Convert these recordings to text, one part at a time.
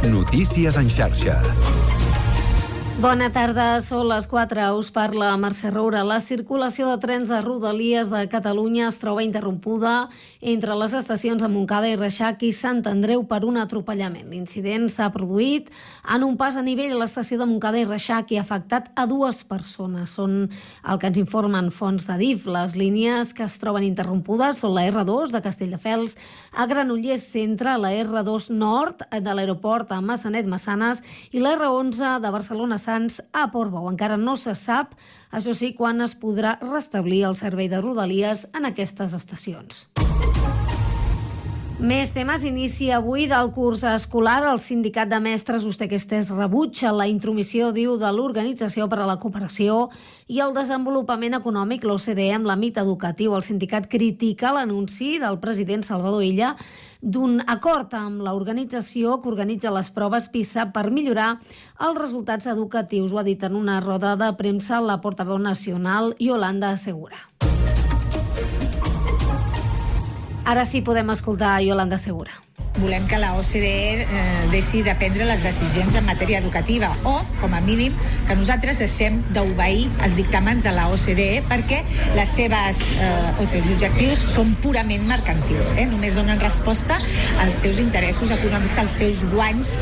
Notícies en xarxa. Bona tarda, són les 4. Us parla Mercè Roura. La circulació de trens de Rodalies de Catalunya es troba interrompuda entre les estacions de Montcada i Reixac i Sant Andreu per un atropellament. L'incident s'ha produït en un pas a nivell a l'estació de Montcada i Reixac i ha afectat a 2 persones. Són el que ens informen fonts de DIF. Les línies que es troben interrompudes són la R2 de Castelldefels a Granollers Centre, la R2 Nord de l'aeroport a Massanet-Massanes i la R11 de Barcelona Sants a Portbou. Encara no se sap, això sí, quan es podrà restablir el servei de Rodalies en aquestes estacions. Més temes. Inicia avui del curs escolar. El sindicat de mestres Ustequestes rebutja la intromissió, diu, de l'Organització per a la Cooperació i el Desenvolupament Econòmic, l'OCDE, en l'àmbit educatiu. El sindicat critica l'anunci del president Salvador Illa d'un acord amb l'organització que organitza les proves PISA per millorar els resultats educatius. Ho ha dit en una roda de premsa la portaveu nacional Yolanda Segura. Ara sí podem escoltar Yolanda Segura. Volem que la OCDE deixi de prendre les decisions en matèria educativa o, com a mínim, que nosaltres deixem d'obeir els dictàmens de la OCDE perquè els objectius són purament mercantils. Només donen resposta als seus interessos econòmics, als seus guanys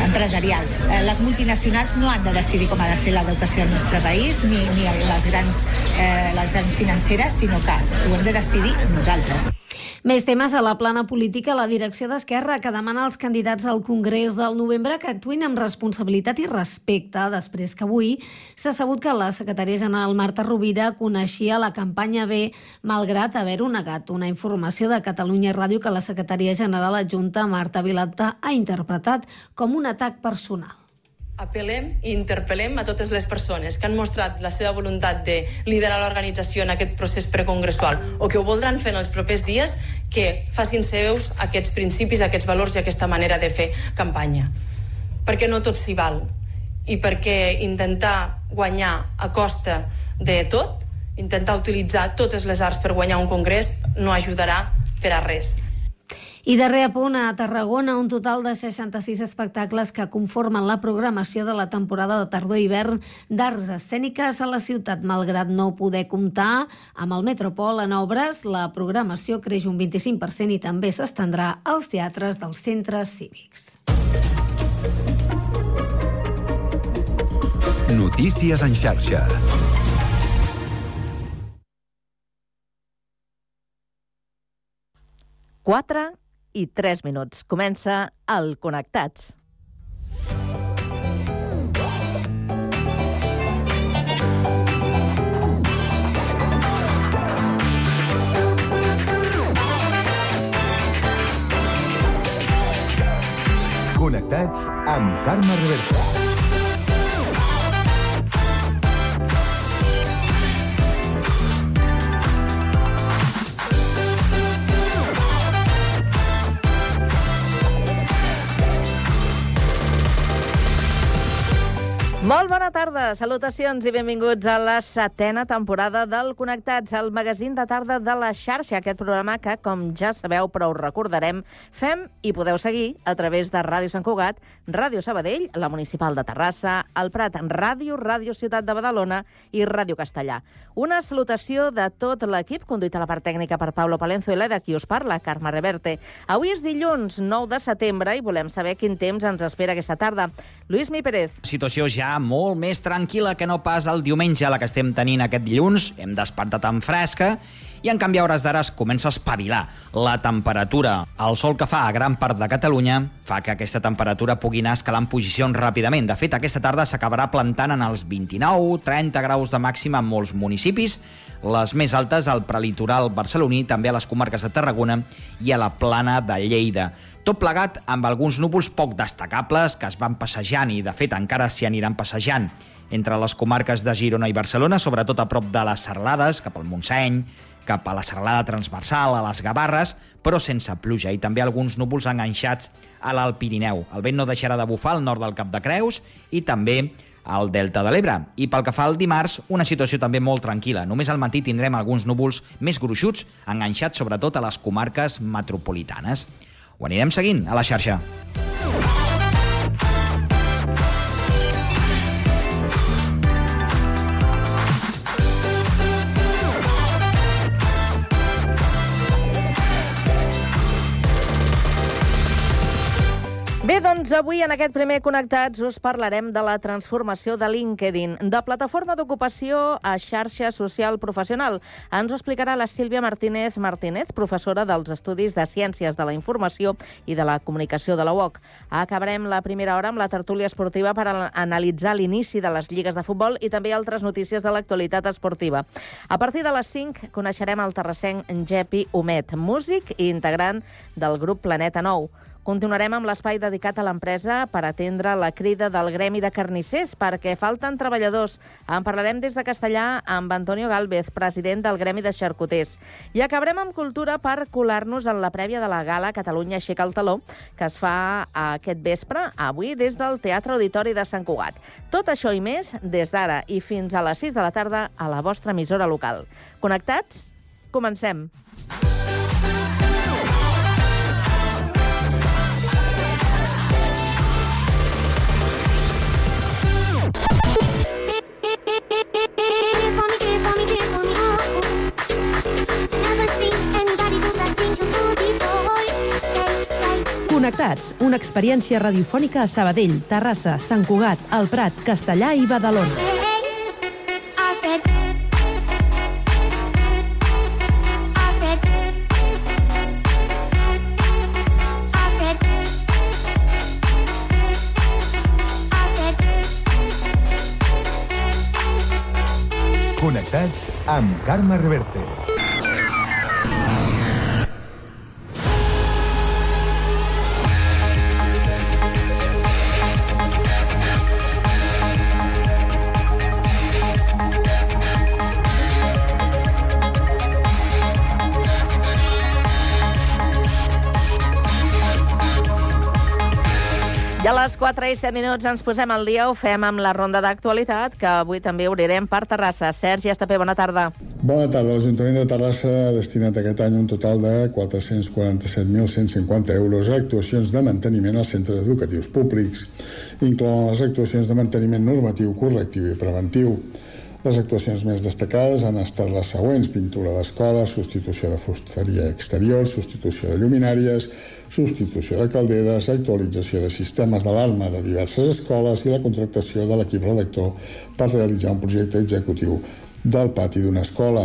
empresarials. Les multinacionals no han de decidir com ha de ser l'educació al nostre país, ni les grans financeres, sinó que ho hem de decidir nosaltres. Més temes a la plana política. La direcció d'Esquerra, que demana als candidats al Congrés del novembre que actuïn amb responsabilitat i respecte, després que avui s'ha sabut que la secretària general Marta Rovira coneixia la campanya B, malgrat haver-ho negat. Una informació de Catalunya Ràdio que la secretària general adjunta Marta Vilalta ha interpretat com un atac personal. Apel·lem i interpel·lem a totes les persones que han mostrat la seva voluntat de liderar l'organització en aquest procés precongressual o que ho voldran fer en els propers dies, que facin seus aquests principis, aquests valors i aquesta manera de fer campanya. Perquè no tot s'hi val i perquè intentar guanyar a costa de tot, intentar utilitzar totes les arts per guanyar un congrés no ajudarà per a res. I darrer apunt, a Tarragona, un total de 66 espectacles que conformen la programació de la temporada de tardor-hivern d'arts escèniques a la ciutat. Malgrat no poder comptar amb el Metropol en obres, la programació creix un 25% i també s'estendrà als teatres dels centres cívics. Notícies en xarxa. Quatre i 3 minuts. Comença el Connectats. Connectats amb Carme Reversa. Molt bona tarda, salutacions i benvinguts a la 7a temporada del Connectats, el magazín de tarda de la xarxa, aquest programa que, com ja sabeu, però us recordarem, fem i podeu seguir a través de Ràdio Sant Cugat, Ràdio Sabadell, la Municipal de Terrassa, el Prat Ràdio, Ràdio Ciutat de Badalona i Ràdio Castellà. Una salutació de tot l'equip, conduït a la part tècnica per Pablo Palenzo i la de qui us parla, Carme Reverte. Avui és dilluns 9 de setembre i volem saber quin temps ens espera aquesta tarda. Lluís Mi Pérez. Situació ja molt més tranquil·la que no pas el diumenge, la que estem tenint aquest dilluns. Hem despertat tan fresca i, en canvi, a hores d'ara es comença a espavilar la temperatura. El sol que fa a gran part de Catalunya fa que aquesta temperatura pugui anar escalant posicions ràpidament. De fet, aquesta tarda s'acabarà plantant en els 29-30 graus de màxima en molts municipis, les més altes al prelitoral barceloní, també a les comarques de Tarragona i a la plana de Lleida. Tot plegat amb alguns núvols poc destacables que es van passejant i, de fet, encara s'hi aniran passejant entre les comarques de Girona i Barcelona, sobretot a prop de les Serralades, cap al Montseny, cap a la serralada transversal, a les Gavarres, però sense pluja, i també alguns núvols enganxats a l'Alt Pirineu. El vent no deixarà de bufar al nord del Cap de Creus i també al Delta de l'Ebre. I pel que fa al dimarts, una situació també molt tranquil·la. Només al matí tindrem alguns núvols més gruixuts, enganxats sobretot a les comarques metropolitanes. Ho anirem seguint a la xarxa. Bé, doncs avui en aquest primer Connectats us parlarem de la transformació de LinkedIn, de plataforma d'ocupació a xarxa social professional. Ens ho explicarà la Sílvia Martínez, professora dels Estudis de Ciències de la Informació i de la Comunicació de la UOC. Acabarem la primera hora amb la tertúlia esportiva per analitzar l'inici de les lligues de futbol i també altres notícies de l'actualitat esportiva. A partir de les 5 coneixerem el terrassenc Gepi Humet, músic i integrant del grup Planeta Nou. Continuarem amb l'espai dedicat a l'empresa per atendre la crida del Gremi de Carnissers perquè falten treballadors. En parlarem des de Castellà amb Antonio Gálvez, president del Gremi de Xarcuters. I acabarem amb cultura per colar-nos en la prèvia de la gala Catalunya aixeca el taló, que es fa aquest vespre, avui, des del Teatre Auditori de Sant Cugat. Tot això i més des d'ara i fins a les 6 de la tarda a la vostra emissora local. Connectats? Comencem. Connectats, una experiència radiofònica a Sabadell, Terrassa, Sant Cugat, El Prat, Castellà i Badalona. Connectats amb Carme Reverte. I a les 4 i 7 minuts ens posem al dia, ho fem amb la ronda d'actualitat, que avui també obrirem per Terrassa. Sergi Estapé, bona tarda. Bona tarda. L'Ajuntament de Terrassa ha destinat aquest any un total de 447.150 euros a actuacions de manteniment als centres educatius públics. Inclouen les actuacions de manteniment normatiu, correctiu i preventiu. Les actuacions més destacades han estat les següents: pintura d'escoles, substitució de fusteria exterior, substitució de lluminàries, substitució de calderes, actualització de sistemes d'alarma de diverses escoles i la contractació de l'equip redactor per realitzar un projecte executiu del pati d'una escola.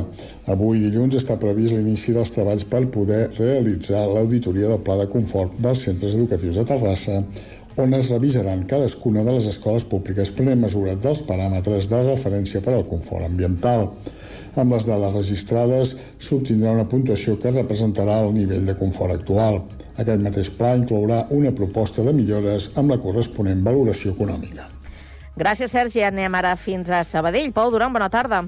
Avui, dilluns, està previst l'inici dels treballs per poder realitzar l'auditoria del pla de confort dels centres educatius de Terrassa, on es revisaran cadascuna de les escoles públiques prenent mesura dels paràmetres de referència per al confort ambiental. Amb les dades registrades s'obtindrà una puntuació que representarà el nivell de confort actual. Aquest mateix pla inclourà una proposta de millores amb la corresponent valoració econòmica. Gràcies, Sergi. Anem ara fins a Sabadell. Pau Duran, bona tarda.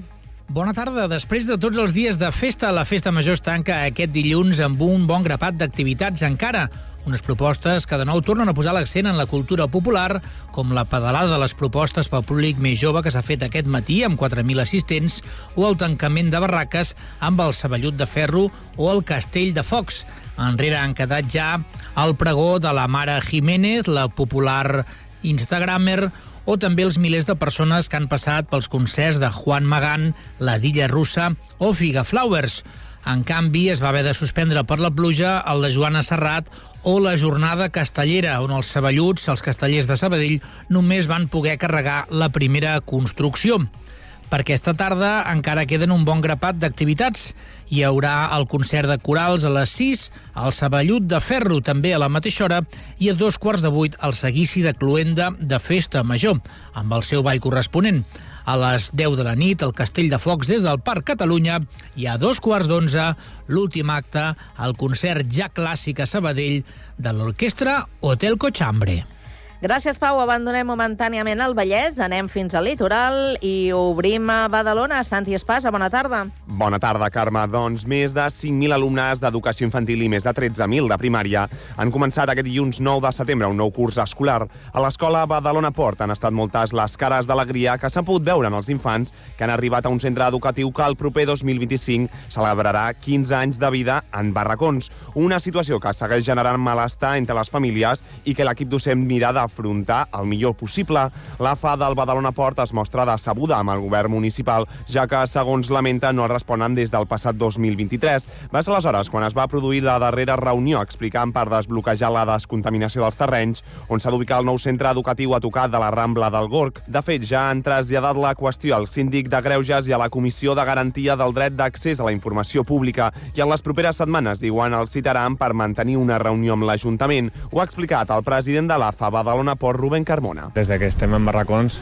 Bona tarda. Després de tots els dies de festa, la Festa Major es tanca aquest dilluns amb un bon grapat d'activitats encara. Unes propostes que de nou tornen a posar l'accent en la cultura popular, com la pedalada de les propostes pel públic més jove que s'ha fet aquest matí amb 4.000 assistents, o el tancament de barraques amb el Saballut de Ferro o el Castell de Focs. Enrere han quedat ja el pregó de la Mare Jiménez, la popular instagramer, o també els milers de persones que han passat pels concerts de Juan Magán, la Dilla Russa o Figa Flowers. En canvi, es va haver de suspendre per la pluja el de Joana Serrat o la jornada castellera, on els saballuts, els castellers de Sabadell, només van poder carregar la primera construcció. Per aquesta tarda encara queden un bon grapat d'activitats. Hi haurà el concert de corals a les 6, el Saballut de Ferro també a la mateixa hora i a 7:15 el seguici de Cluenda de Festa Major, amb el seu ball corresponent. A les 10 de la nit, el Castell de Focs des del Parc Catalunya i a 2:15 l'últim acte, el concert ja clàssic a Sabadell de l'orquestra Hotel Cochambre. Gràcies, Pau. Abandonem momentàniament el Vallès, anem fins al litoral i obrim a Badalona. Santi Espasa, bona tarda. Bona tarda, Carme. Doncs més de 5.000 alumnes d'educació infantil i més de 13.000 de primària han començat aquest dilluns 9 de setembre un nou curs escolar. A l'escola Badalona Port han estat moltes les cares d'alegria que s'han pogut veure en els infants que han arribat a un centre educatiu que el proper 2025 celebrarà 15 anys de vida en barracons. Una situació que segueix generant malestar entre les famílies i que l'equip docent mira de afrontar el millor possible. L'AFA del Badalona Port es mostra decebuda amb el govern municipal, ja que, segons lamenta, no responen des del passat 2023. Va ser aleshores quan es va produir la darrera reunió explicant per desbloquejar la descontaminació dels terrenys, on s'ha d'ubicar el nou centre educatiu a tocar de la Rambla del Gorg. De fet, ja han traslladat la qüestió al síndic de Greuges i a la Comissió de Garantia del Dret d'Accés a la Informació Pública, i en les properes setmanes, diuen, el citaran per mantenir una reunió amb l'Ajuntament. Ho ha explicat el president de l'AFA Badalona Port, Rubén Carmona. Des que estem en barracons,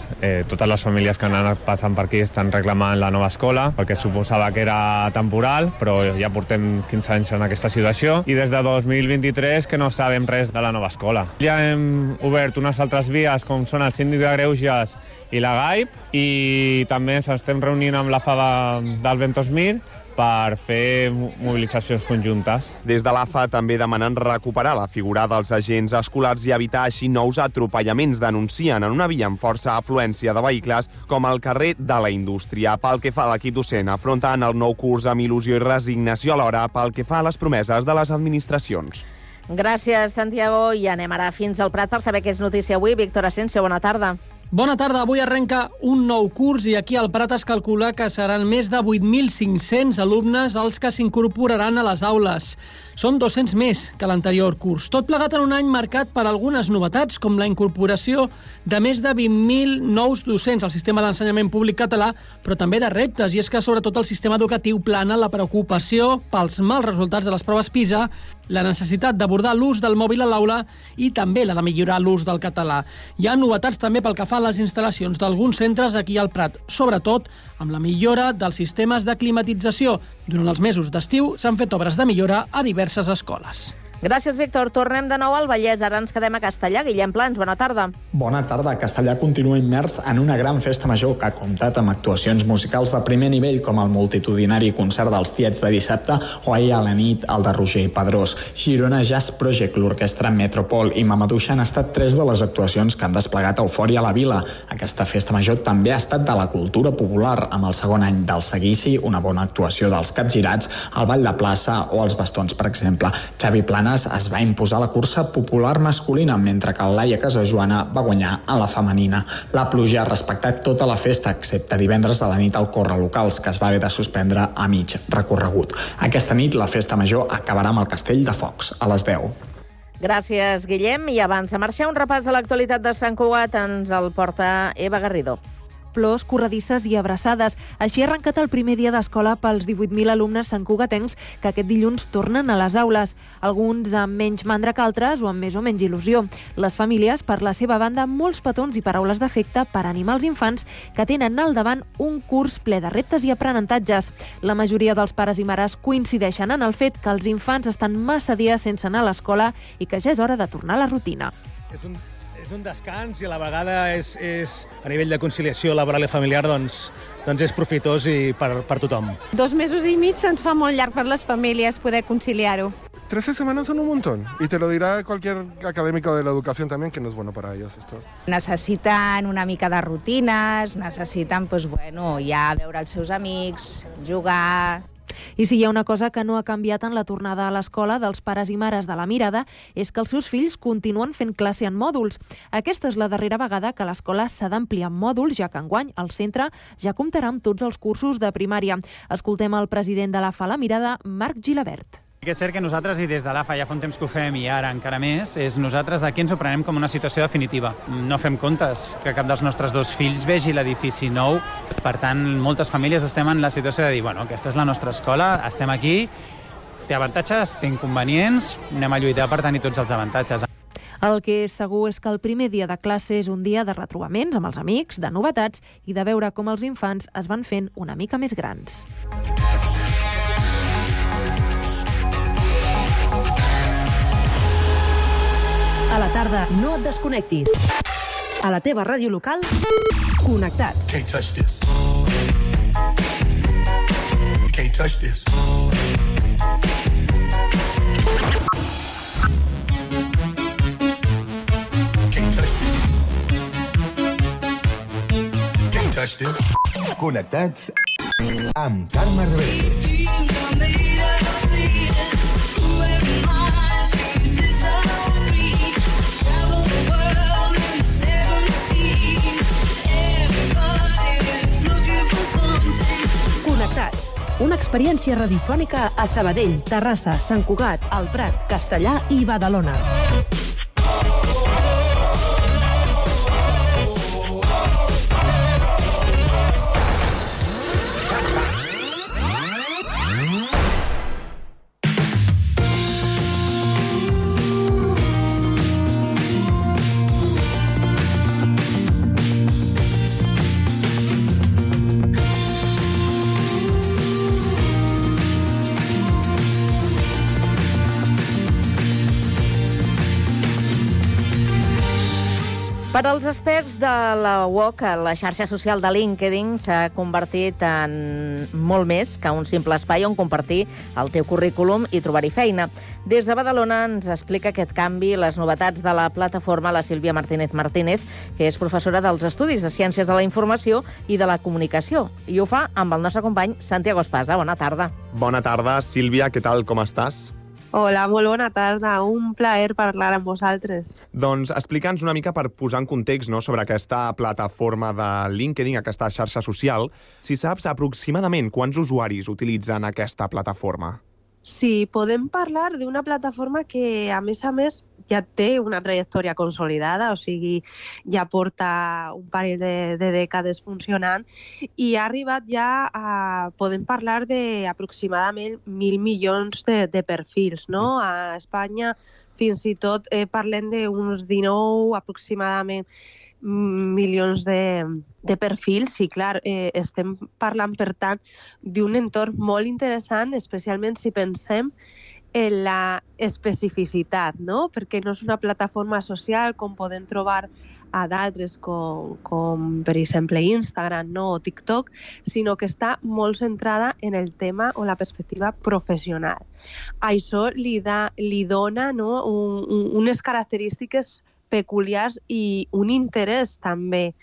totes les famílies que han anat passant per aquí estan reclamant la nova escola, perquè suposava que era temporal, però ja portem 15 anys en aquesta situació, i des de 2023 que no sabem res de la nova escola. Ja hem obert unes altres vies, com són el síndic de Greuges i la GAIP, i també ens estem reunint amb la FA del Ventosmir per fer mobilitzacions conjuntes. Des de l'AFA també demanen recuperar la figura dels agents escolars i evitar així nous atropellaments. Denuncien en una via amb força afluència de vehicles com el carrer de la Indústria. Pel que fa a l'equip docent, afronten el nou curs amb il·lusió i resignació alhora pel que fa a les promeses de les administracions. Gràcies, Santiago. I anem ara fins al Prat per saber què és notícia avui. Víctor Asensio, bona tarda. Bona tarda. Avui arrenca un nou curs i aquí al Prat es calcula que seran més de 8.500 alumnes els que s'incorporaran a les aules. Són 200 més que l'anterior curs. Tot plegat en un any marcat per algunes novetats, com la incorporació de més de 20.000 nous docents al sistema d'ensenyament públic català, però també de reptes, i és que sobretot el sistema educatiu plana la preocupació pels mals resultats de les proves PISA, la necessitat d'abordar l'ús del mòbil a l'aula i també la de millorar l'ús del català. Hi ha novetats també pel que fa a les instal·lacions d'alguns centres aquí al Prat, sobretot amb la millora dels sistemes de climatització. Durant els mesos d'estiu s'han fet obres de millora a diverses escoles. Gràcies, Víctor. Tornem de nou al Vallès. Ara ens quedem a Castellà. Guillem Plans, bona tarda. Bona tarda. Castellà continua immers en una gran festa major que ha comptat amb actuacions musicals de primer nivell, com el multitudinari concert dels Tiets de dissabte o ahir a la nit el de Roger i Pedrós. Girona Jazz Project, l'orquestra Metropol i Mamadouxa han estat tres de les actuacions que han desplegat eufòria a la vila. Aquesta festa major també ha estat de la cultura popular, amb el segon any del seguici, una bona actuació dels capgirats, el ball de plaça o els bastons, per exemple. Xavi Planes es va imposar la cursa popular masculina, mentre que el Laia Casajoana va guanyar a la femenina. La pluja ha respectat tota la festa, excepte divendres a la nit al Corre Locals, que es va haver de suspendre a mig recorregut. Aquesta nit la festa major acabarà amb el Castell de Focs, a les 10. Gràcies, Guillem. I abans de marxar, un repàs a l'actualitat de Sant Cugat ens el porta Eva Garrido. Plors, corredisses i abraçades. Així ha arrencat el primer dia d'escola pels 18.000 alumnes santcugatencs que aquest dilluns tornen a les aules, alguns amb menys mandra que altres o amb més o menys il·lusió. Les famílies, per la seva banda, molts petons i paraules d'afecte per animar els infants que tenen al davant un curs ple de reptes i aprenentatges. La majoria dels pares i mares coincideixen en el fet que els infants estan massa dies sense anar a l'escola i que ja és hora de tornar a la rutina. És un descans i a la vegada és a nivell de conciliació laboral i familiar doncs és profitós i per tothom. 2 mesos i mig se'ns fa molt llarg per les famílies poder conciliar-ho. 13 semanas son un montón, y te lo dirá cualquier académico de la educación también, que no es bueno para ellos esto. Necessiten una mica de rutines, necessiten ja veure els seus amics, jugar. I si hi ha una cosa que no ha canviat en la tornada a l'escola dels pares i mares de la Mirada és que els seus fills continuen fent classe en mòduls. Aquesta és la darrera vegada que l'escola s'ha d'ampliar en mòduls, ja que enguany el centre ja comptarà amb tots els cursos de primària. Escoltem el president de l'AFA La Mirada, Marc Gilabert. Que és cert que nosaltres, i des de l'AFA ja fa un temps que ho fem i ara encara més, és nosaltres aquí ens ho prenem com una situació definitiva. No fem comptes que cap dels nostres 2 fills vegi l'edifici nou. Per tant, moltes famílies estem en la situació de dir, aquesta és la nostra escola, estem aquí, té avantatges, té inconvenients, anem a lluitar per tenir tots els avantatges. El que és segur és que el primer dia de classe és un dia de retrobaments amb els amics, de novetats i de veure com els infants es van fent una mica més grans. A la tarda, no et desconnectis. A la teva ràdio local, connectats. Can't touch this. You can't touch this. Can't touch this. Can't touch this. Connectats amb Carme Rebell. experiència radiofònica a Sabadell, Terrassa, Sant Cugat, El Prat, Castellà i Badalona. Per als experts de la UOC, la xarxa social de LinkedIn s'ha convertit en molt més que un simple espai on compartir el teu currículum i trobar-hi feina. Des de Badalona ens explica aquest canvi, les novetats de la plataforma, la Sílvia Martínez, que és professora dels Estudis de Ciències de la Informació i de la Comunicació. I ho fa amb el nostre company Santiago Espasa. Bona tarda. Bona tarda, Sílvia, què tal, com estàs? Hola, molt bona tarda. Un plaer parlar amb vosaltres. Doncs explica'ns una mica per posar en context, no, sobre aquesta plataforma de LinkedIn, aquesta xarxa social. Si saps aproximadament quants usuaris utilitzen aquesta plataforma? Sí, podem parlar d'una plataforma que, a més, ja té una trajectòria consolidada, o sigui, ja porta un parell de dècades funcionant i ha arribat ja a... Podem parlar d'aproximadament 1.000 milions de perfils, no? A Espanya fins i tot parlem d'uns 19 aproximadament milions de perfils i, clar, estem parlant, per tant, d'un entorn molt interessant, especialment si pensem en la especificitat, no? Perquè no és una plataforma social com podem trobar a d'altres com per exemple Instagram, no? O TikTok, sinó que està molt centrada en el tema o la perspectiva professional. Això li dona, no? Unes característiques peculiars i un interès també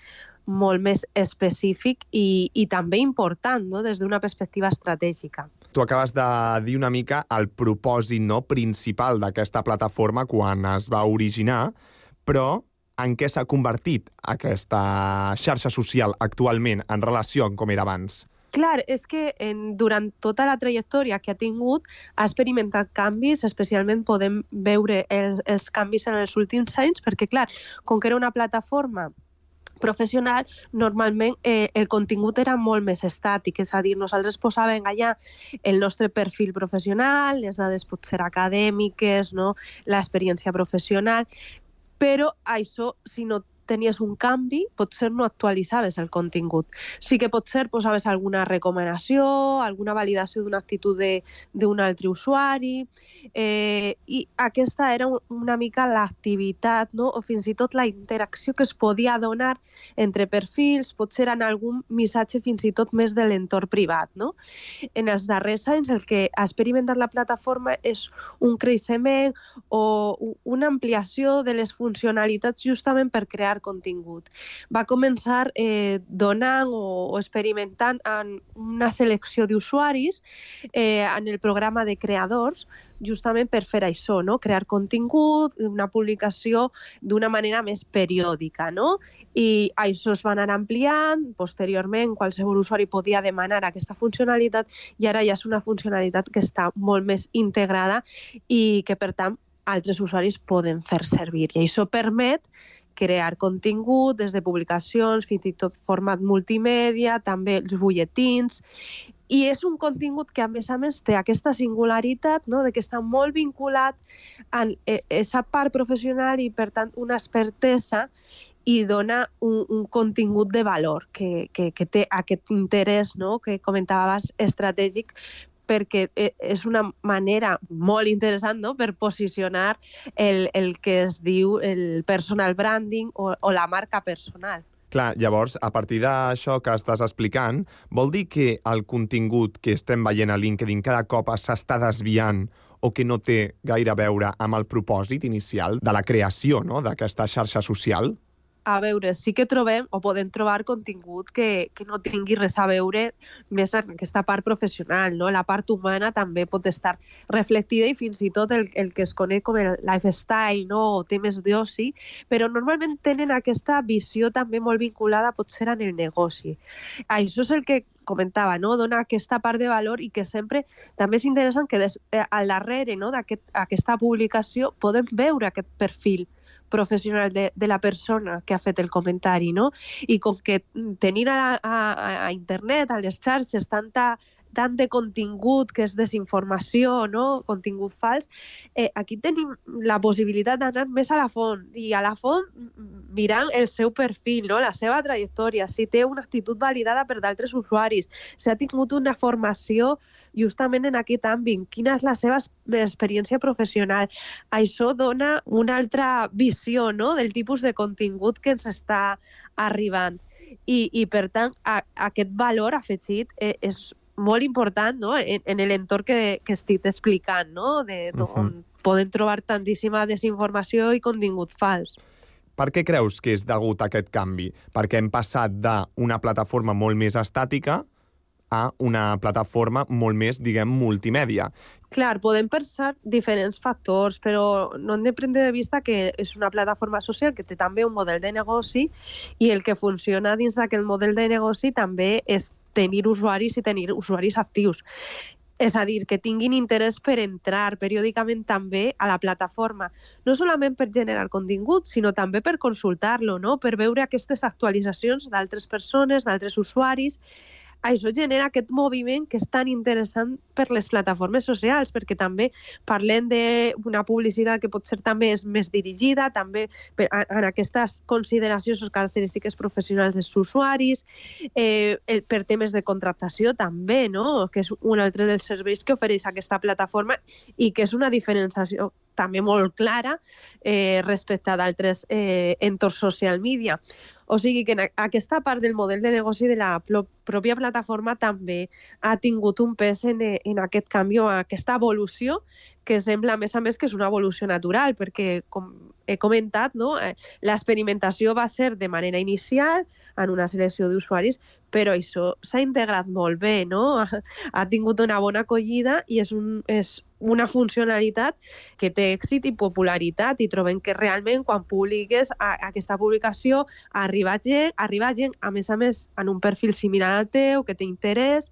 molt més específic i també important, no? Des d'una perspectiva estratègica. Tu acabes de dir una mica el propòsit, no, principal d'aquesta plataforma quan es va originar, però en què s'ha convertit aquesta xarxa social actualment en relació amb com era abans? Clar, és que durant tota la trajectòria que ha tingut ha experimentat canvis, especialment podem veure els canvis en els últims anys, perquè, clar, com que era una plataforma professional, normalment el contingut era molt més estàtic, és a dir, nosaltres posàvem allà el nostre perfil professional, les dades potser acadèmiques, no? L'experiència professional, però això, si no tenies un canvi, potser no actualitzaves el contingut. Sí que potser posaves alguna recomanació, alguna validació d'una actitud d'un altre usuari, i aquesta era una mica l'activitat, no? O fins i tot la interacció que es podia donar entre perfils, potser en algun missatge fins i tot més de l'entorn privat, no? En els darrers anys el que ha experimentat la plataforma és un creixement o una ampliació de les funcionalitats justament per crear contingut. Va començar donant o experimentant en una selecció d'usuaris en el programa de creadors, justament per fer això, no? Crear contingut, una publicació d'una manera més periòdica, no? I això es va anar ampliant, posteriorment qualsevol usuari podia demanar aquesta funcionalitat i ara ja és una funcionalitat que està molt més integrada i que, per tant, altres usuaris poden fer servir. I això permet crear contingut des de publicacions, fins i tot format multimèdia, també els butlletins. I és un contingut que, a més, té aquesta singularitat, no? De que està molt vinculat a aquesta part professional i, per tant, una expertesa i dona un contingut de valor que té aquest interès, no? Que comentava abans, estratègic, perquè és una manera molt interessant, no? Per posicionar el que es diu el personal branding o la marca personal. Clar, llavors, a partir d'això que estàs explicant, vol dir que el contingut que estem veient a LinkedIn cada cop s'està desviant o que no té gaire a veure amb el propòsit inicial de la creació, no?, d'aquesta xarxa social? A veure, sí que trobem o podem trobar contingut que no tingui res a veure més en aquesta part professional, no? La part humana també pot estar reflectida i fins i tot el que es coneix com el lifestyle, no? O temes d'oci, però normalment tenen aquesta visió també molt vinculada potser en el negoci. Això és el que comentava, no? Dona aquesta part de valor i que sempre també és interessant que al darrere, no, d'aquesta publicació podem veure aquest perfil professional de la persona que ha fet el comentari, no? I com que tenint a internet, a les xarxes, tant de contingut que és desinformació, no? Contingut fals, aquí tenim la possibilitat d'anar més a la font, i a la font mirant el seu perfil, no? La seva trajectòria, si té una actitud validada per d'altres usuaris, si ha tingut una formació justament en aquest àmbit, quina és la seva experiència professional. Això dona una altra visió, no? Del tipus de contingut que ens està arribant. I per tant, aquest valor afegit és molt important, no? En l'entorn que estic explicant, no? On poden trobar tantíssima desinformació i contingut fals. Per què creus que és degut a aquest canvi? Perquè hem passat d'una plataforma molt més estàtica a una plataforma molt més, diguem, multimèdia. Clar, podem pensar diferents factors, però no hem de prendre de vista que és una plataforma social que té també un model de negoci i el que funciona dins d'aquest model de negoci també és tenir usuaris i tenir usuaris actius. És a dir, que tinguin interès per entrar periòdicament també a la plataforma, no solament per generar contingut, sinó també per consultar-lo, no? Per veure aquestes actualitzacions d'altres persones, d'altres usuaris. Això genera aquest moviment que és tan interessant per les plataformes socials, perquè també parlem d'una publicitat que pot ser també més dirigida, també en aquestes consideracions o característiques professionals dels usuaris, per temes de contractació també, no? Que és un altre dels serveis que ofereix aquesta plataforma i que és una diferenciació també molt clara respecte d'altres entorns social media. O sigui que aquesta part del model de negoci de la pròpia plataforma també ha tingut un pes en aquest canvi o aquesta evolució que sembla, a més, que és una evolució natural, perquè, com he comentat, no? L'experimentació va ser de manera inicial en una selecció d'usuaris, però això s'ha integrat molt bé, no? Ha tingut una bona acollida i és una funcionalitat que té èxit i popularitat, i trobem que realment quan publiques aquesta publicació arriba gent, a més, en un perfil similar al teu, que té interès,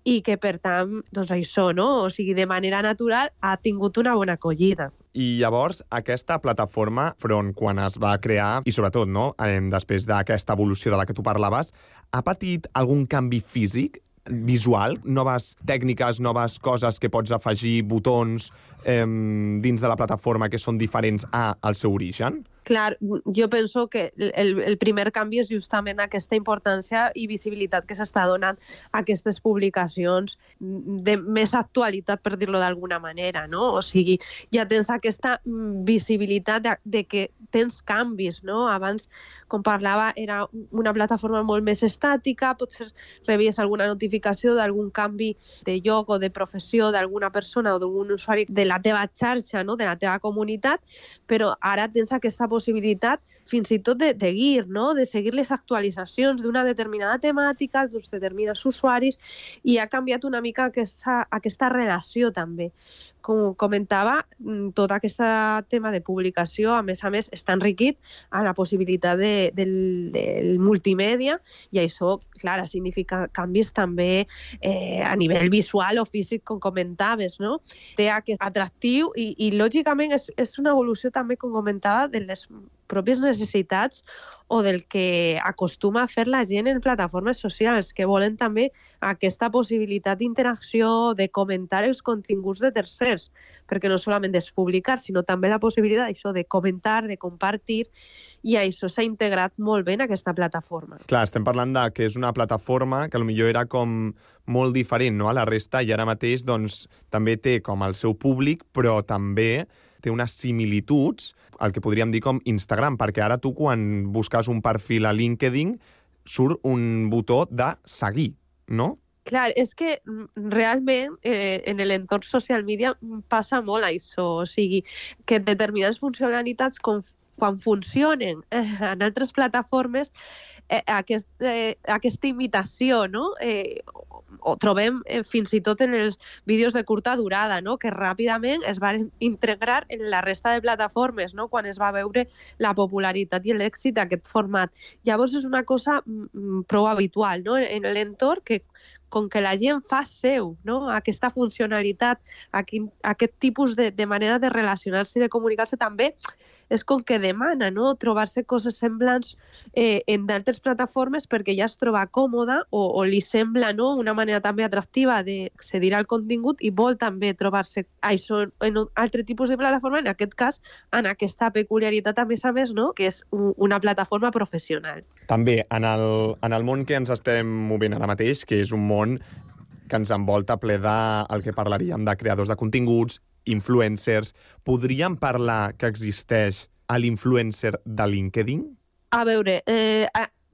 i que, per tant, doncs això, no? O sigui, de manera natural ha tingut una bona acollida. I llavors, aquesta plataforma, Front, quan es va crear, i sobretot, no, després d'aquesta evolució de la que tu parlaves, ha patit algun canvi físic, visual, noves tècniques, noves coses que pots afegir, botons dins de la plataforma que són diferents al seu origen? Clar, jo penso que el primer canvi és justament aquesta importància i visibilitat que s'està donant a aquestes publicacions de més actualitat, per dir-lo d'alguna manera, no? O sigui, ja tens aquesta visibilitat de que tens canvis, no? Abans, com parlava, era una plataforma molt més estàtica, potser rebies alguna notificació d'algun canvi de lloc o de professió d'alguna persona o d'algun usuari de la teva xarxa, no? De la teva comunitat, però ara tens aquesta possibilitat fins i tot de seguir, no? De seguir les actualitzacions d'una determinada temàtica, d'uns determinats usuaris, i ha canviat una mica aquesta relació també. Com comentava, tot aquest tema de publicació, a més, està enriquit a la possibilitat del multimèdia, i això, clar, significa canvis també a nivell visual o físic, com comentaves, no? Té aquest atractiu i lògicament, és una evolució també, com comentava, de les pròpies necessitats o del que acostuma a fer la gent en plataformes socials, que volen també aquesta possibilitat d'interacció, de comentar els continguts de tercers, perquè no solament és publicar, sinó també la possibilitat això de comentar, de compartir, i això s'ha integrat molt bé en aquesta plataforma. Clar, estem parlant de que és una plataforma que potser era com molt diferent, no?, a la resta, i ara mateix doncs, també té com el seu públic, però també té unes similituds, el que podríem dir com Instagram, perquè ara tu, quan busques un perfil a LinkedIn, surt un botó de seguir, no? Clar, és que realment en l'entorn social media passa molt això, o sigui, que determinades funcionalitats quan funcionen en altres plataformes aquesta imitació, no? O trobem fins i tot en els vídeos de curta durada, no? Que ràpidament es van integrar en la resta de plataformes, no? Quan es va veure la popularitat i l'èxit d'aquest format. Llavors és una cosa prou habitual, no? En l'entorn que com que la gent fa seu, no? Aquesta funcionalitat, aquest tipus de manera de relacionar-se i de comunicar-se també és com que demana, no? Trobar-se coses semblants en d'altres plataformes perquè ja es troba còmoda o li sembla, no? Una manera també atractiva d'accedir al contingut i vol també trobar-se això en un altre tipus de plataforma, en aquest cas, en aquesta peculiaritat, a més, no? Que és una plataforma professional. També, en el món que ens estem movent ara mateix, que és un món que ens envolta ple del que parlaríem de creadors de continguts, influencers, podríem parlar que existeix l'influencer de LinkedIn? A veure,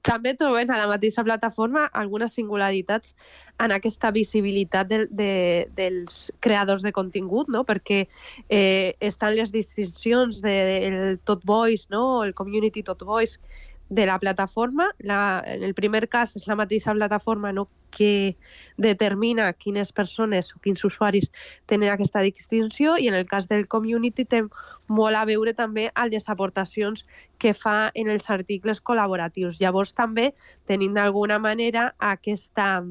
també trobem a la mateixa plataforma algunes singularitats en aquesta visibilitat dels creadors de contingut, no? Perquè estan les distincions del Tot Voice, no? El Community Tot Voice de la plataforma. En el primer cas és la mateixa plataforma, no? Que determina quines persones o quins usuaris tenen aquesta distinció, i en el cas del community té molt a veure també amb les aportacions que fa en els articles col·laboratius. Llavors també tenim d'alguna manera aquesta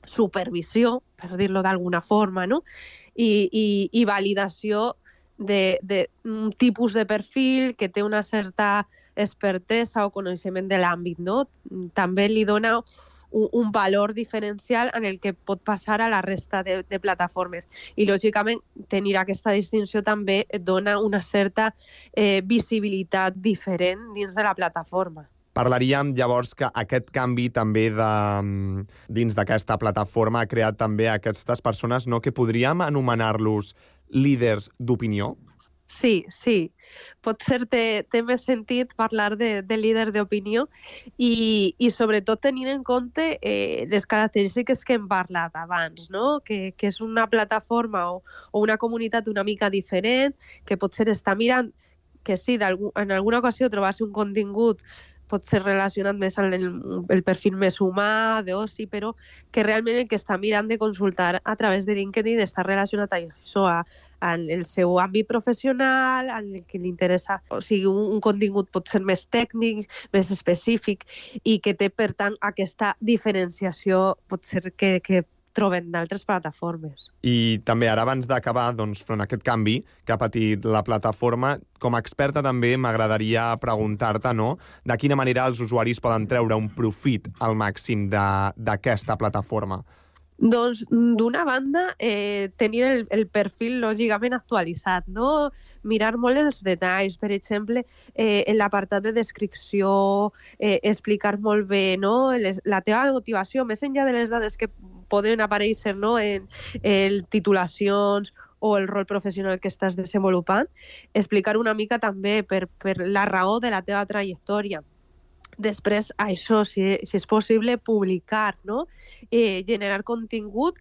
supervisió, per dir-lo d'alguna forma, no? I validació d'un tipus de perfil que té una certa expertesa o coneixement de l'àmbit, no? També li dona un valor diferencial en el que pot passar a la resta de plataformes. I, lògicament, tenir aquesta distinció també et dona una certa visibilitat diferent dins de la plataforma. Parlaríem llavors que aquest canvi també dins d'aquesta plataforma ha creat també aquestes persones, no? Que podríem anomenar-los líders d'opinió? Sí. Potser té més sentit parlar de líder d'opinió i sobretot tenint en compte les característiques que hem parlat abans, no? Que és una plataforma o una comunitat una mica diferent, que potser està mirant que sí, en alguna ocasió trobar-se un contingut pot ser relacionat més amb el perfil més humà, d'oci, però que realment el que està mirant de consultar a través de LinkedIn està relacionat a això, en el seu àmbit professional, en el que li interessa. O sigui, un contingut pot ser més tècnic, més específic, i que té, per tant, aquesta diferenciació, pot ser que troben d'altres plataformes. I també ara, abans d'acabar, doncs, front a aquest canvi que ha patit la plataforma, com a experta també m'agradaria preguntar-te, no?, de quina manera els usuaris poden treure un profit al màxim d'aquesta plataforma. Doncs, d'una banda, tenir el perfil lògicament actualitzat, no? Mirar molt els detalls, per exemple, en l'apartat de descripció, explicar molt bé, no? La teva motivació, més enllà de les dades que poden aparèixer, no? En titulacions o el rol professional que estàs desenvolupant, explicar una mica també per la raó de la teva trajectòria. Després, això, si és possible, publicar, no? Generar contingut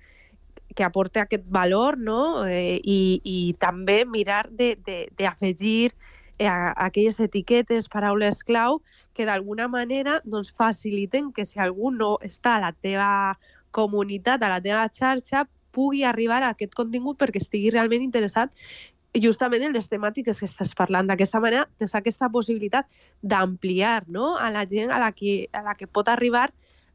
que aporti aquest valor, no? I també mirar d'afegir aquelles etiquetes, paraules clau, que d'alguna manera doncs, faciliten que si algú no està a la teva comunitat, a la teva xarxa, pugui arribar a aquest contingut perquè estigui realment interessat justament en les temàtiques que estàs parlant. D'aquesta manera, tens aquesta possibilitat d'ampliar, no? A la gent a la que pot arribar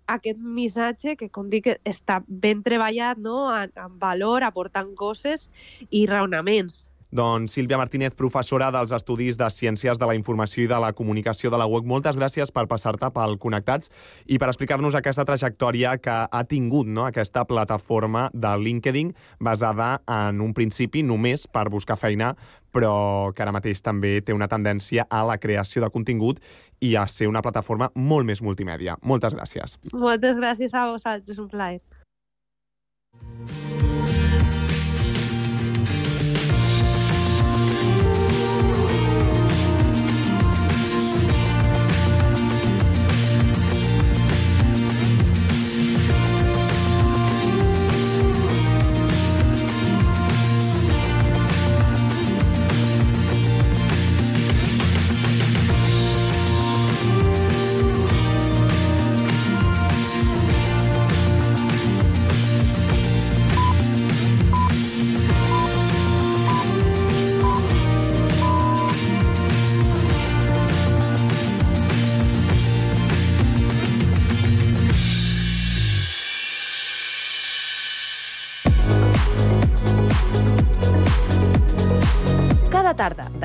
aquest missatge que, com dic, està ben treballat, no? En valor, aportant coses i raonaments. Doncs Sílvia Martínez, professora dels Estudis de Ciències de la Informació i de la Comunicació de la UEC, moltes gràcies per passar-te pel Connectats i per explicar-nos aquesta trajectòria que ha tingut, no?, aquesta plataforma de LinkedIn basada en un principi només per buscar feina, però que ara mateix també té una tendència a la creació de contingut i a ser una plataforma molt més multimèdia. Moltes gràcies. Moltes gràcies a vosaltres, un plaer.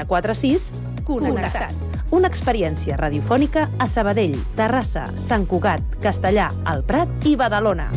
946 Connectats. Una experiència radiofònica a Sabadell, Terrassa, Sant Cugat, Castellà, el Prat i Badalona.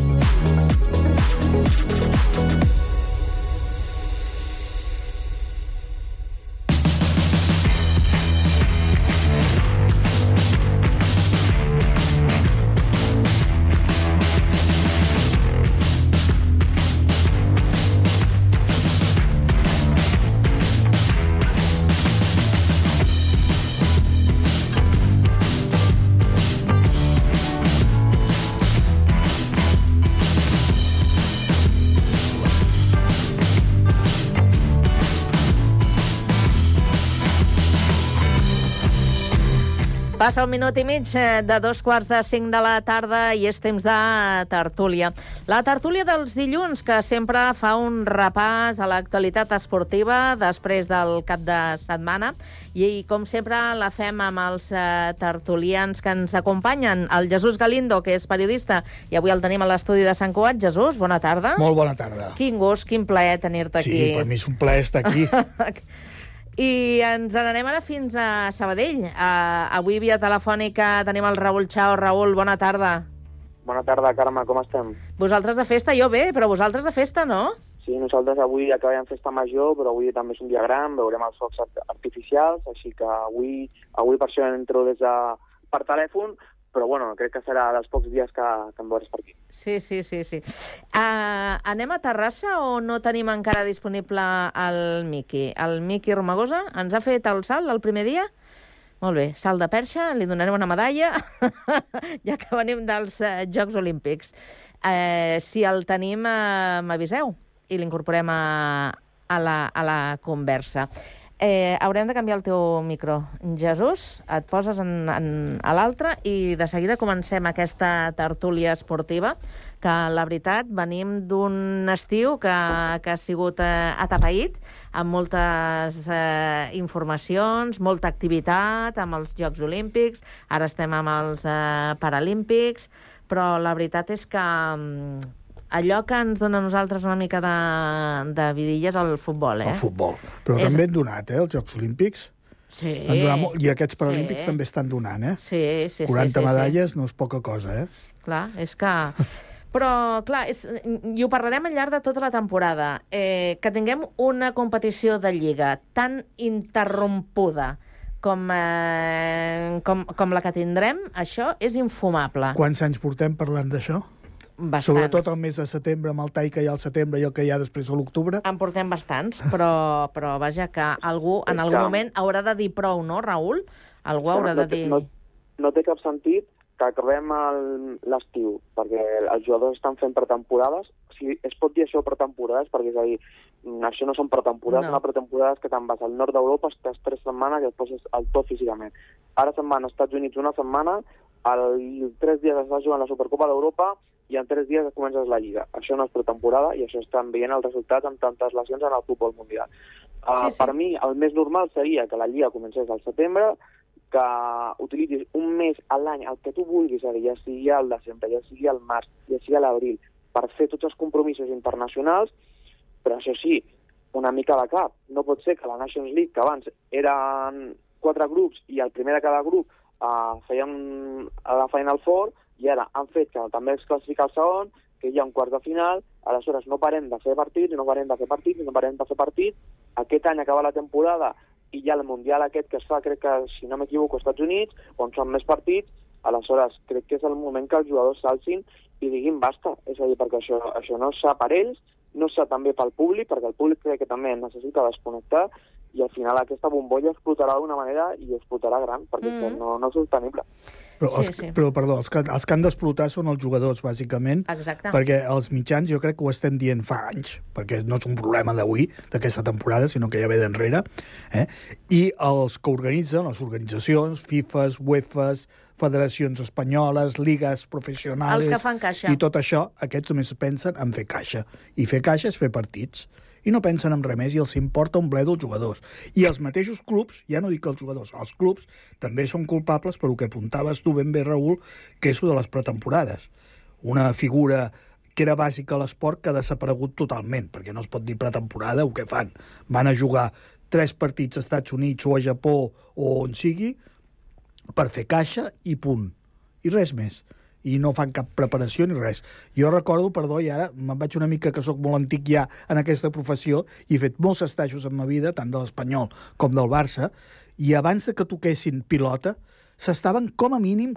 Passa 1 minut i mig de 2:45 de la tarda i és temps de tertúlia. La tertúlia dels dilluns, que sempre fa un repàs a l'actualitat esportiva després del cap de setmana. I, com sempre, la fem amb els tertulians que ens acompanyen. El Jesús Galindo, que és periodista, i avui el tenim a l'estudi de Sant Cugat. Jesús, bona tarda. Molt bona tarda. Quin gust, quin plaer tenir-te aquí. Sí, per mi és un plaer estar aquí. I ens n'anem ara fins a Sabadell. Avui, via telefònica, tenim el Raül Chao. Raül, bona tarda. Bona tarda, Carme, com estem? Vosaltres de festa, jo bé, però vosaltres de festa, no? Sí, nosaltres avui acabem festa major, però avui també és un dia gran, veurem els focs artificials, així que avui per això entro per telèfon, però bueno, crec que serà dels pocs dies que em veuràs per aquí. Sí. Anem a Terrassa o no tenim encara disponible el Miqui? El Miqui Romagosa ens ha fet el salt el primer dia? Molt bé, salt de perxa, li donarem una medalla, ja que venim dels Jocs Olímpics. Si el tenim, m'aviseu i l'incorporem a la conversa. Haurem de canviar el teu micro. Jesús, et poses a l'altre i de seguida comencem aquesta tertúlia esportiva, que la veritat venim d'un estiu que ha sigut atapeït, amb moltes informacions, molta activitat, amb els Jocs Olímpics, ara estem amb els Paralímpics, però la veritat és que allò que ens dona a nosaltres una mica de vidilla és el futbol, El futbol. Però també han donat, els Jocs Olímpics. Sí. I aquests Paralímpics també estan donant, Sí. 40 medalles no és poca cosa, Clar, és que... Però, clar, i ho parlarem al llarg de tota la temporada. Que tinguem una competició de Lliga tan interrompuda com la que tindrem, això és infumable. Quants anys portem parlant d'això? Bastants. Sobretot el mes de setembre, amb el tall que hi ha al setembre i el que hi ha després a l'octubre. En portem bastants, però vaja, que algú en algun moment haurà de dir prou, no, Raül? Algú haurà de dir... No té cap sentit que acabem l'estiu, perquè els jugadors estan fent pretemporades. O sigui, es pot dir això pretemporades, perquè és a dir, això no són pretemporades, una pretemporada és que te'n vas al nord d'Europa, estàs 3 setmanes i després és el tot físicament. Ara se'n van als Estats Units una setmana, 3 dies estàs jugant la Supercopa d'Europa i en 3 dies comences la Lliga. Això no és pretemporada i això estan veient els resultats amb tantes lesions en el futbol mundial. Per mi, el més normal seria que la Lliga comencés al setembre, que utilitzis un mes a l'any, el que tu vulguis, ja sigui al desembre, ja sigui al març, ja sigui a l'abril, per fer tots els compromisos internacionals, però això sí, una mica de cap. No pot ser que la Nations League, que abans eren 4 grups i el primer de cada grup feien la Final Four, i ara han fet que també es classifica el segon, que hi ha un quart de final, aleshores no parem de fer partits, aquest any acaba la temporada i hi ha el Mundial aquest que es fa, crec que, si no m'equivoco, als Estats Units, on són més partits, aleshores crec que és el moment que els jugadors s'alcin i diguin basta, és a dir, perquè això no és sa per ells, no és sa també pel públic, perquè el públic crec que també necessita desconnectar, i al final aquesta bombolla explotarà d'una manera i explotarà gran, perquè no és sostenible. Però, perdó, els que han d'explotar són els jugadors, bàsicament. Exacte. Perquè els mitjans jo crec que ho estem dient fa anys, perquè no és un problema d'avui, d'aquesta temporada, sinó que ja ve d'enrere. I els que organitzen, les organitzacions, FIFAs, UEFAs, federacions espanyoles, ligues professionals... Els que fan caixa. I tot això, aquests només pensen en fer caixa. I fer caixa és fer partits. I no pensen en res més i els importa un bledo els jugadors. I els mateixos clubs, ja no dic els jugadors, els clubs també són culpables per el que apuntaves tu ben bé, Raül, que és de les pretemporades. Una figura que era bàsica a l'esport que ha desaparegut totalment, perquè no es pot dir pretemporada o què fan. Van a jugar 3 partits als Estats Units o a Japó o on sigui per fer caixa i punt. I res més. I no fan cap preparació ni res. Jo recordo, perdó, i ara me'n vaig una mica que sóc molt antic ja en aquesta professió i he fet molts estajos en ma vida, tant de l'Espanyol com del Barça, i abans de que toquessin pilota, s'estaven com a mínim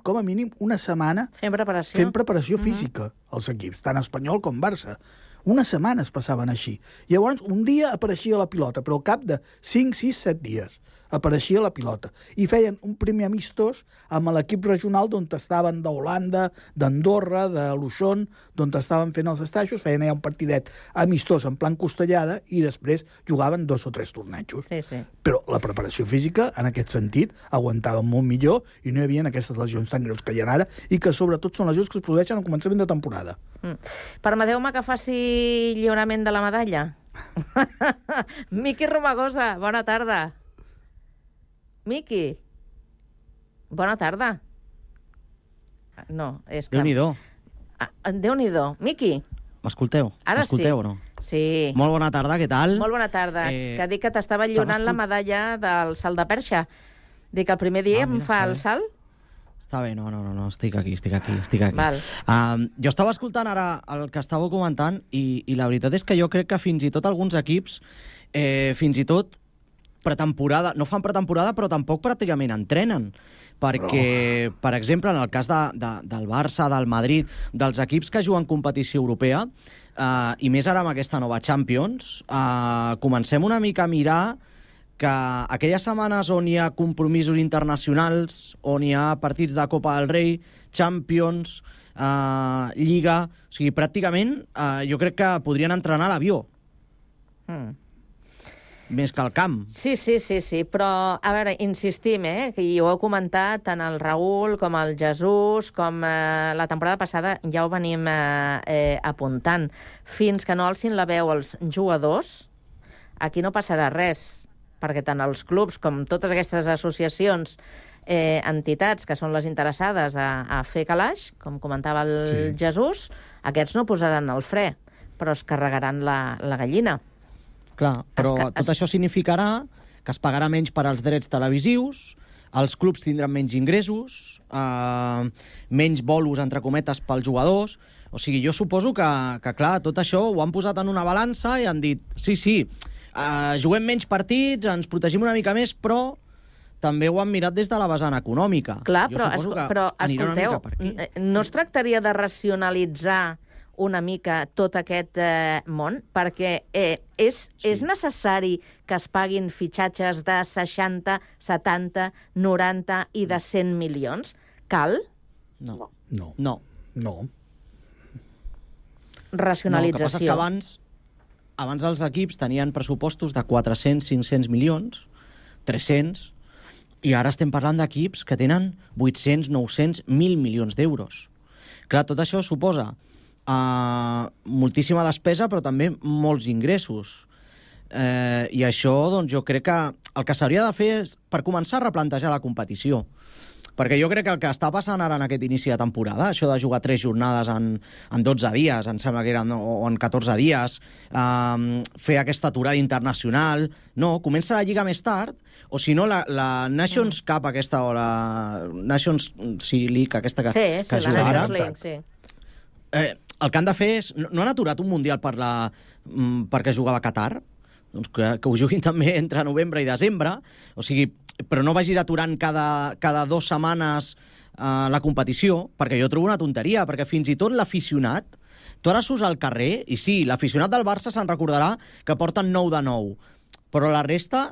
una setmana fent preparació física als equips, tant Espanyol com Barça. Unes setmanes passaven així. Llavors, un dia apareixia la pilota, però al cap de 5, 6, 7 dies apareixia la pilota. I feien un primer amistós amb l'equip regional d'on estaven d'Holanda, d'Andorra, de Luixón, d'on estaven fent els estajos, feien allà un partidet amistós en plan costellada i després jugaven 2 o 3 tornejos. Sí. Però la preparació física, en aquest sentit, aguantava molt millor i no hi havia aquestes lesions tan greus que hi ha ara i que sobretot són lesions que es produeixen al començament de temporada. Permeteu-me que faci lliurament de la medalla? Miqui Romagosa, bona tarda. Miqui, bona tarda. No, és que... Déu-n'hi-do. Déu-n'hi-do. Miqui. M'escolteu? Ara M'escolteu sí. o no? Sí. Molt bona tarda, què tal? Molt bona tarda. Que dic que t'estava lliurant la medalla del salt de perxa. Dic, el primer dia em fa el salt? Està bé, no, estic aquí. Val. Jo estava escoltant ara el que estàveu comentant i la veritat és que jo crec que fins i tot alguns equips, fins i tot pretemporada, no fan pretemporada, però tampoc pràcticament entrenen. Perquè, per exemple, en el cas del Barça, del Madrid, dels equips que juguen competició europea, i més ara amb aquesta nova Champions, comencem una mica a mirar que aquelles setmanes on hi ha compromisos internacionals, on hi ha partits de Copa del Rei, Champions, Lliga... O sigui, pràcticament jo crec que podrien entrenar a l'avió. Més que al camp. Sí, però, a veure, insistim, que ho heu comentat tant el Raül com el Jesús, com la temporada passada ja ho venim apuntant. Fins que no alcin la veu els jugadors, aquí no passarà res, perquè tant els clubs com totes aquestes associacions, entitats que són les interessades a fer calaix, com comentava el Jesús, aquests no posaran el fre, però es carregaran la gallina. Clar, però tot això significarà que es pagarà menys per als drets televisius, els clubs tindran menys ingressos, menys bolos, entre cometes, pels jugadors. O sigui, jo suposo que, clar, tot això ho han posat en una balança i han dit, sí, juguem menys partits, ens protegim una mica més, però també ho han mirat des de la vessant econòmica. Clar, però escolteu, no es tractaria de racionalitzar una mica tot aquest món, perquè és necessari que es paguin fitxatges de 60, 70, 90 i de 100 milions? Cal? No. Racionalització. El que passa és que abans els equips tenien pressupostos de 400, 500 milions, 300, i ara estem parlant d'equips que tenen 800, 900, 1.000 milions d'euros. Clar, tot això suposa moltíssima despesa, però també molts ingressos. I això, doncs, jo crec que el que s'hauria de fer és, per començar, a replantejar la competició. Perquè jo crec que el que està passant ara en aquest inici de temporada, això de jugar 3 jornades en 12 dies, em sembla que eren, o en 14 dies, fer aquesta aturada internacional... No, comença la Lliga més tard, o si no, la Nations Cup aquesta, o la Nations League aquesta que juga ara... Sí. El que han de fer és... No han aturat un Mundial perquè jugava a Qatar? Doncs que ho juguin també entre novembre i desembre. O sigui, però no vagis aturant cada 2 setmanes la competició, perquè jo trobo una tonteria, perquè fins i tot l'aficionat... Tu ara surts al carrer, i sí, l'aficionat del Barça se'n recordarà que porten 9 de 9. Però la resta,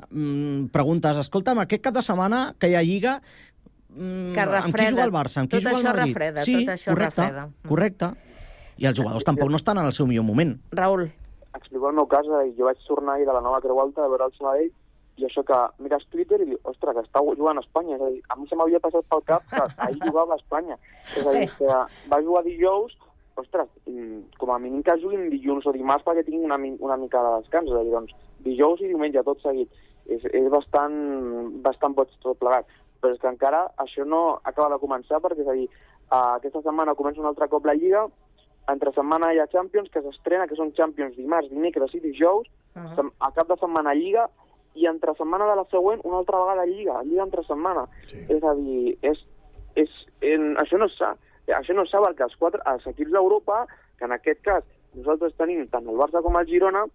preguntes, escolta'm, aquest cap de setmana que hi ha Lliga... Que refreda. Amb qui juga el Barça? Amb qui juga el Madrid? Refreda, sí, tot això refreda. Correcte. I els jugadors tampoc no estan en el seu millor moment. Raül. Explico el meu cas, jo vaig tornar ahir de la nova Creu Alta a veure el Sabadell i això que mires Twitter i dius, ostres, que està jugant a Espanya. És a dir, a mi se m'havia passat pel cap que ahir jugava a Espanya. És a dir, que va jugar dijous, ostres, com a mínim que juguin dilluns o dimarts perquè tinguin una mica de descans. És a dir, doncs, dijous i diumenge tot seguit. És bastant boig tot plegat. Però és que encara això no acaba de començar perquè, és a dir, aquesta setmana comença un altre cop la Lliga, entre setmana hi ha Champions, que s'estrena, que són Champions dimarts, dimecres i dijous, a cap de setmana Lliga, i entre setmana de la següent una altra vegada Lliga entre setmana. Sí. És a dir, això no és sa. Això no és sa perquè els equips d'Europa, que en aquest cas nosaltres tenim tant el Barça com el Girona,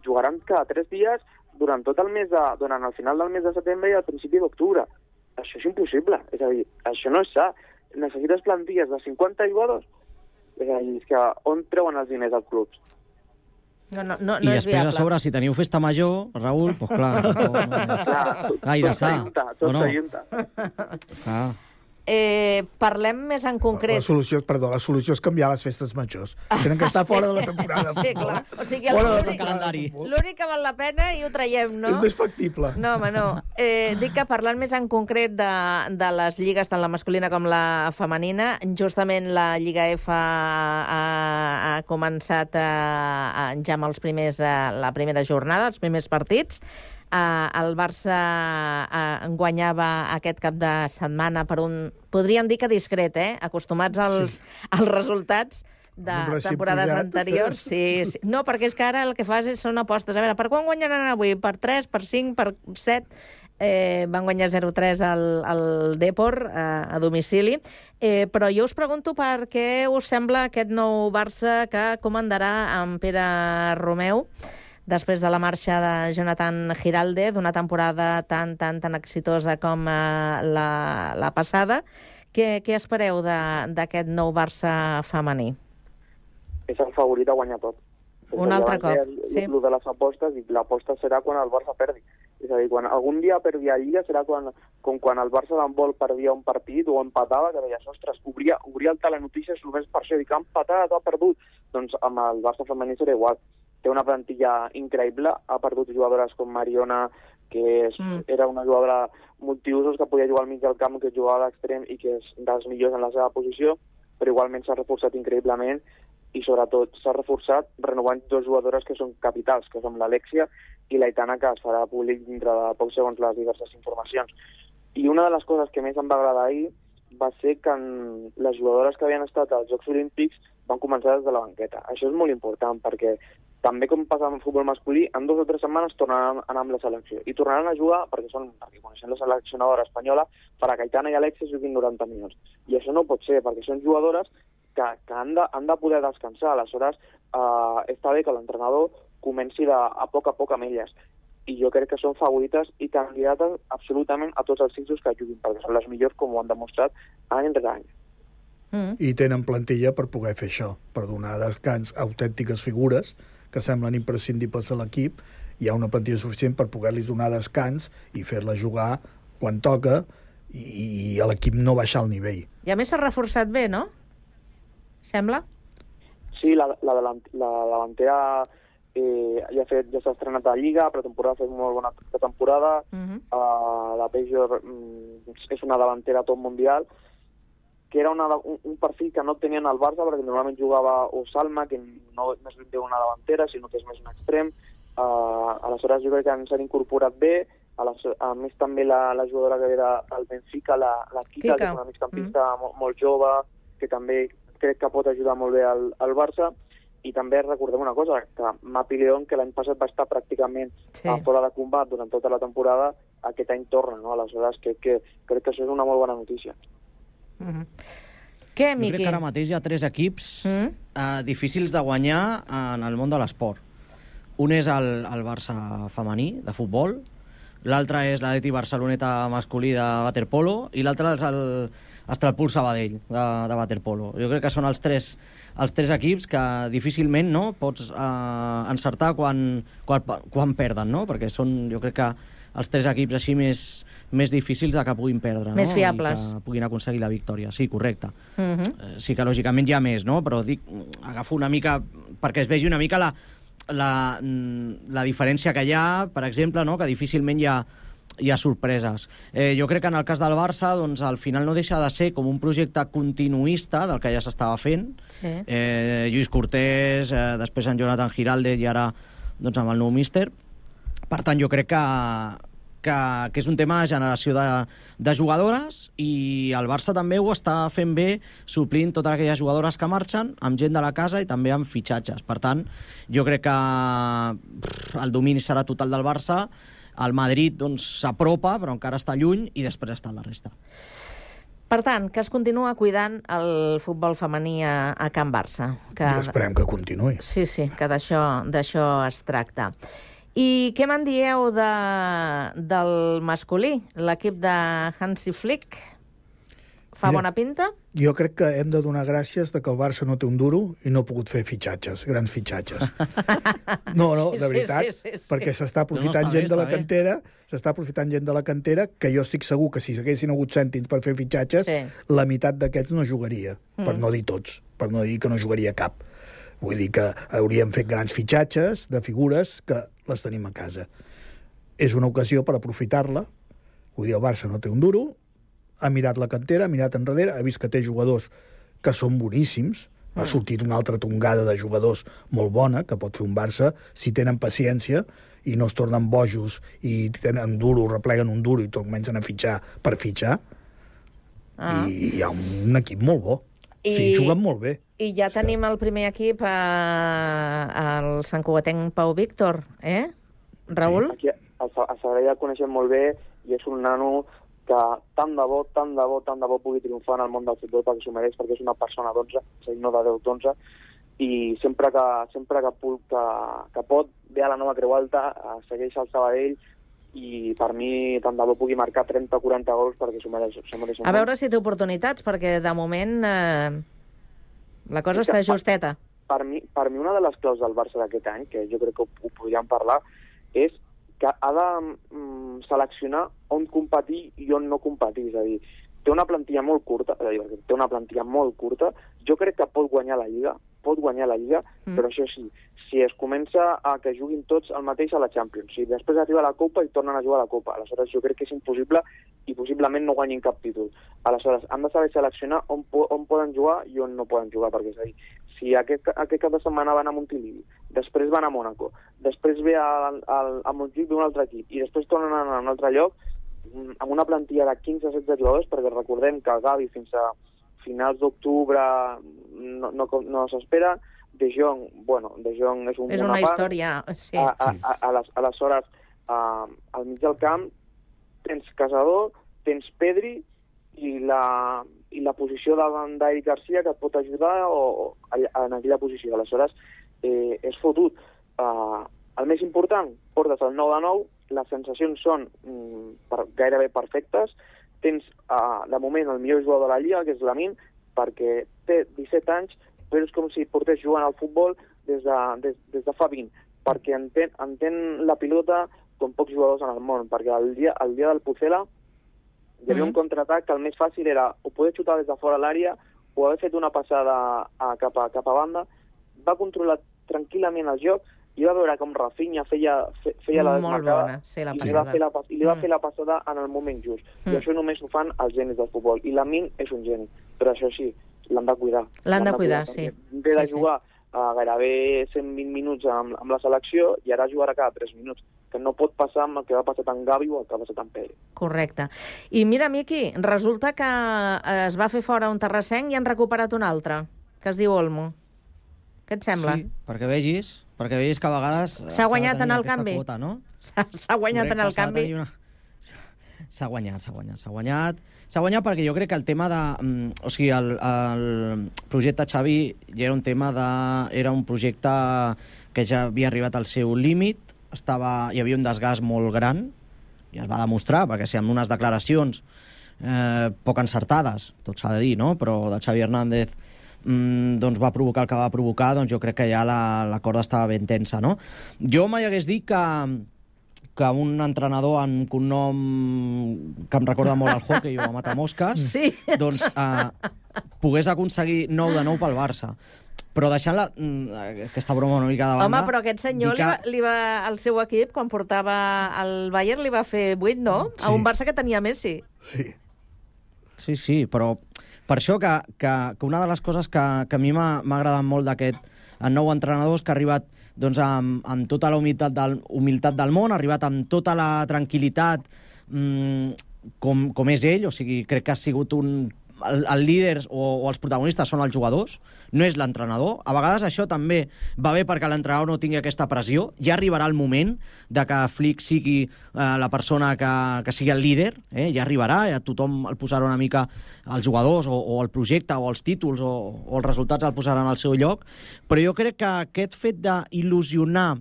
jugaran cada 3 dies durant el final del mes de setembre i al principi d'octubre. Això és impossible. És a dir, això no és sa. Necessites plantilles de 50 jugadors. És a dir, és que on treuen els diners als clubs? No I és després, viable. a sobre, si teniu festa major, Raül, doncs clar, gaire sa. Tot s'ajunta. Clar. Parlem més en concret. La solució és canviar les festes majors. Tenen que estar fora de la temporada. Sí, clar. O sigui, l'únic que val la pena i ho traiem, no? És més factible. No, home, no. Dic que parlant més en concret de les lligues, tant la masculina com la femenina, justament la Lliga F ha començat ja amb la primera jornada, els primers partits. El Barça guanyava aquest cap de setmana per podríem dir que discret, acostumats als resultats de temporades anteriors. Sí. No, perquè és que ara el que fas són apostes. A veure, per quan guanyaran avui? Per 3, per 5, per 7? Van guanyar 0-3 al Depor a domicili. Però jo us pregunto per què us sembla aquest nou Barça que comandarà en Pere Romeu després de la marxa de Jonathan Giralde, d'una temporada tan exitosa com la passada. Què espereu d'aquest nou Barça femení? És el favorit a guanyar tot. Un altre cop, sí. El de les apostes, i l'aposta serà quan el Barça perdi. És a dir, quan algun dia perdi a Lliga serà com quan el Barça d'handbol perdia un partit o empatava, que deies, ostres, obria el telenotícies només per això, dic, ha empatat, ha perdut. Doncs amb el Barça femení serà igual. Té una plantilla increïble, ha perdut jugadores com Mariona, que era una jugadora multiusos que podia jugar al mig del camp, que jugava a l'extrem i que és dels millors en la seva posició, però igualment s'ha reforçat increïblement i sobretot s'ha reforçat renovant 2 jugadores que són capitals, que són l'Alexia i l'Aitana, que es farà públic dintre de pocs segons les diverses informacions. I una de les coses que més em va agradar ahir va ser que les jugadores que havien estat als Jocs Olímpics van començar des de la banqueta. Això és molt important perquè també com passa amb el futbol masculí, en 2 o 3 setmanes tornaran a anar amb la selecció. I tornaran a jugar, perquè coneixent la seleccionadora espanyola, farà que Aitana i Alexia juguin 90 minuts. I això no pot ser, perquè són jugadores que han de poder descansar. Aleshores, està bé que l'entrenador comenci a poc amb elles. I jo crec que són favorites i candidates absolutament a tots els ciclos que juguin, perquè són les millors, com ho han demostrat any rere any. I tenen plantilla per poder fer això, per donar descans a autèntiques figures que semblen imprescindibles a l'equip. Hi ha una plantilla suficient per poder-los donar descans i fer-la jugar quan toca i a l'equip no baixar el nivell. I a més s'ha reforçat bé, no? Sembla? Sí, la davantera ja s'ha estrenat a Lliga, pretemporada ha fet molt bona pretemporada. La Pejor és una davantera top mundial, que era un perfil que no tenien al Barça, perquè normalment jugava o Salma, que no és més ben una davantera, sinó que és més un extrem. Aleshores jo crec que s'han incorporat bé. A més també la jugadora que era al Benfica, la Kika, que és una migcampista molt jove, que també crec que pot ajudar molt bé al Barça. I també recordem una cosa, que Mapi León, que l'any passat va estar pràcticament fora de combat durant tota la temporada, aquest any torna, no? Aleshores crec que això és una molt bona notícia. Què, Miqui? Jo crec que ara mateix hi ha 3 equips difícils de guanyar en el món de l'esport. Un és el Barça femení, de futbol, l'altre és l'Atleti Barceloneta masculí de waterpolo i l'altre és l'Estralpul Sabadell de waterpolo. Jo crec que són els tres equips que difícilment pots encertar quan perden, no? Perquè són, jo crec que els 3 equips així més difícils de que puguin perdre, més fiables, i que puguin aconseguir la victòria. Sí, correcte. Sí que lògicament hi ha més, no? Però agafo una mica perquè es vegi una mica la diferència que hi ha, per exemple, no? Que difícilment hi ha sorpreses. Jo crec que en el cas del Barça, doncs, al final no deixa de ser com un projecte continuista del que ja s'estava fent. Sí. Lluís Cortés, després en Jonathan Giralde i ara doncs, amb el nou míster. Per tant, jo crec que és un tema de generació de jugadores i el Barça també ho està fent bé, suplint totes aquelles jugadores que marxen amb gent de la casa i també amb fitxatges. Per tant, jo crec que el domini serà total del Barça. El Madrid doncs, s'apropa, però encara està lluny, i després està la resta. Per tant, que es continua cuidant el futbol femení a Can Barça. I esperem que continuï. Sí, que d'això es tracta. I què me'n dieu del masculí? L'equip de Hansi Flick fa bona pinta? Jo crec que hem de donar gràcies de que el Barça no té un duro i no ha pogut fer fitxatges, grans fitxatges. No, de veritat, perquè s'està aprofitant gent de la cantera, que jo estic segur que si s'haguessin hagut cèntims per fer fitxatges, la meitat d'aquests no jugaria, per no dir tots, per no dir que no jugaria cap. Vull dir que hauríem fet grans fitxatges de figures que les tenim a casa. És una ocasió per aprofitar-la. Vull dir, el Barça no té un duro, ha mirat la cantera, ha mirat enrere, ha vist que té jugadors que són boníssims, ha sortit una altra tongada de jugadors molt bona, que pot fer un Barça, si tenen paciència i no es tornen bojos i tenen duro, repleguen un duro i comencen a fitxar per fitxar. I hi ha un equip molt bo. Sí, juguen molt bé. I ja tenim el primer equip, el santcugatenc Pau Víctor, Raül? Sí, a Sabadell el coneixem molt bé i és un nano que tant de bo pugui triomfar en el món del futbol perquè s'ho mereix, perquè és una persona d'11, és a dir, no de 10, d'11, i sempre que pot ve a la nova Creu Alta, segueix al Sabadell, i per mi tant de bo pugui marcar 30 o 40 gols perquè s'ho mereix. A veure si té oportunitats, perquè de moment la cosa està justeta. Per mi una de les claus del Barça d'aquest any, que jo crec que ho podríem parlar, és que ha de seleccionar on competir i on no competir. És a dir, té una plantilla molt curta, jo crec que pot guanyar la Lliga, però això sí, si es comença a que juguin tots el mateix a la Champions, si després arriba a la Copa i tornen a jugar a la Copa, aleshores jo crec que és impossible i possiblement no guanyin cap títol. Aleshores, han de saber seleccionar on poden jugar i on no poden jugar, perquè és a dir, si aquest cap de setmana van a Montilivi, després van a Mònaco, després ve a Montjuïc d'un altre equip i després tornen a un altre lloc, amb una plantilla de 15-16 jugadors, perquè recordem que el Gavi fins a finals d'octubre no s'espera. De Jong és una història, sí. Aleshores, al mig del camp tens Casador, tens Pedri i la posició davant d'Eric Garcia que et pot ajudar en aquella posició. Aleshores, és fotut. El més important, portes el 9 de 9, les sensacions són gairebé perfectes. Tens, de moment, el millor jugador de la Lliga, que és Lamine, perquè té 17 anys, però és com si portés jugant al futbol des de fa 20, perquè entén la pilota com pocs jugadors en el món, perquè el dia del Pucela hi havia un contraatac que el més fàcil era o poder xutar des de fora l'àrea o haver fet una passada cap a banda. Va controlar tranquil·lament el joc i va veure com Rafinha feia la desmarcada i li va fer la passada en el moment just. I això només ho fan els genis del futbol. I Lamine és un geni, però això sí, l'han de cuidar. L'han de cuidar, sí. Ve de jugar gairebé 120 minuts amb la selecció i ara jugarà cada 3 minuts, que no pot passar amb el que va passar amb Gavi o el que va passar amb Pedri. Correcte. I mira, Miqui, resulta que es va fer fora un terrassenc i han recuperat un altre, que es diu Olmo. Què et sembla? Sí, perquè vegis que a vegades... S'ha guanyat en el canvi? Quota, no? S'ha guanyat en el canvi? S'ha guanyat perquè jo crec que el tema de... O sigui, el projecte Xavi ja era un tema de... Era un projecte que ja havia arribat al seu límit, hi havia un desgast molt gran, i es va demostrar, perquè si amb unes declaracions poc encertades, tot s'ha de dir, no? Però de Xavi Hernández doncs va provocar el que va provocar, doncs jo crec que ja la corda estava ben tensa, no? Jo mai hagués dit que un entrenador amb un cognom que em recorda molt al hockey o a Matamosques, sí. Doncs pogués aconseguir 9 de 9 pel Barça. Però deixant aquesta broma una mica de banda... Home, però aquest senyor el seu equip, quan portava el Bayern, li va fer 8, no? Sí. A un Barça que tenia Messi. Sí, però per això que una de les coses que a mi m'ha agradat molt d'aquest nou entrenador és que ha arribat doncs, amb tota la humilitat del món, ha arribat amb tota la tranquil·litat com és ell, o sigui, crec que ha sigut el líder o els protagonistes són els jugadors, no és l'entrenador. A vegades això també va bé perquè l'entrenador no tingui aquesta pressió. Ja arribarà el moment de que Flick sigui la persona que sigui el líder, ja arribarà, ja tothom el posarà una mica als jugadors o el projecte o els títols o els resultats el posaran al seu lloc, però jo crec que aquest fet d'il·lusionar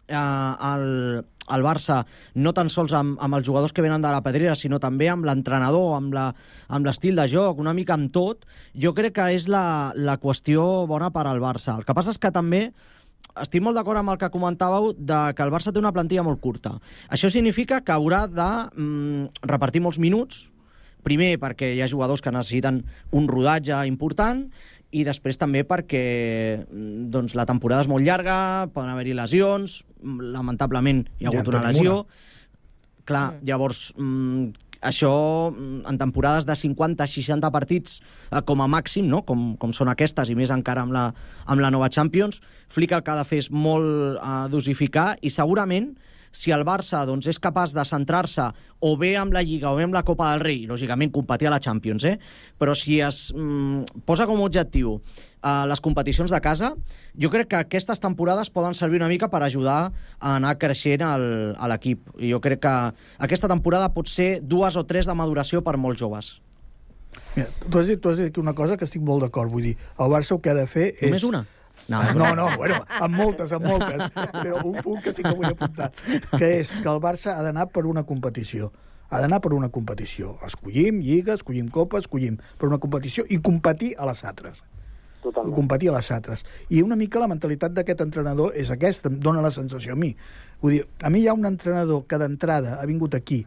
el Barça, no tan sols amb els jugadors que venen de la pedrera, sinó també amb l'entrenador, amb l'estil de joc, una mica amb tot, jo crec que és la qüestió bona per al Barça. El que passa és que també estic molt d'acord amb el que comentàveu que el Barça té una plantilla molt curta. Això significa que haurà de repartir molts minuts, primer perquè hi ha jugadors que necessiten un rodatge important, i després també perquè doncs, la temporada és molt llarga, poden haver-hi lesions, lamentablement hi ha hagut una lesió. Clar, llavors, això en temporades de 50-60 partits com a màxim, no? com són aquestes, i més encara amb la nova Champions, Flick el que ha de fer és molt dosificar, i segurament si el Barça doncs, és capaç de centrar-se o bé amb la Lliga o bé amb la Copa del Rei, lògicament competir a la Champions, però si es posa com a objectiu les competicions de casa, jo crec que aquestes temporades poden servir una mica per ajudar a anar creixent a l'equip. I jo crec que aquesta temporada pot ser 2 o 3 de maduració per molts joves. Mira, tu has dit aquí una cosa que estic molt d'acord, vull dir, el Barça el que ha de fer és... Només una? No, bueno, amb moltes, però un punt que sí que vull apuntar, que és que el Barça ha d'anar per una competició. Ha d'anar per una competició. Escollim Lliga, escollim Copa, escollim per una competició i competir a les altres. Totalment. Competir a les altres. I una mica la mentalitat d'aquest entrenador és aquesta, em dóna la sensació a mi. Vull dir, a mi hi ha un entrenador que d'entrada ha vingut aquí,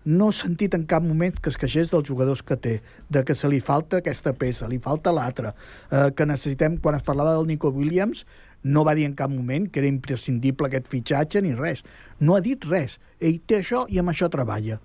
no he sentit en cap moment que es queixés dels jugadors que té, de que se li falta aquesta peça, li falta l'altra, que necessitem, quan es parlava del Nico Williams, no va dir en cap moment que era imprescindible aquest fitxatge ni res. No ha dit res. Ell té això i amb això treballa.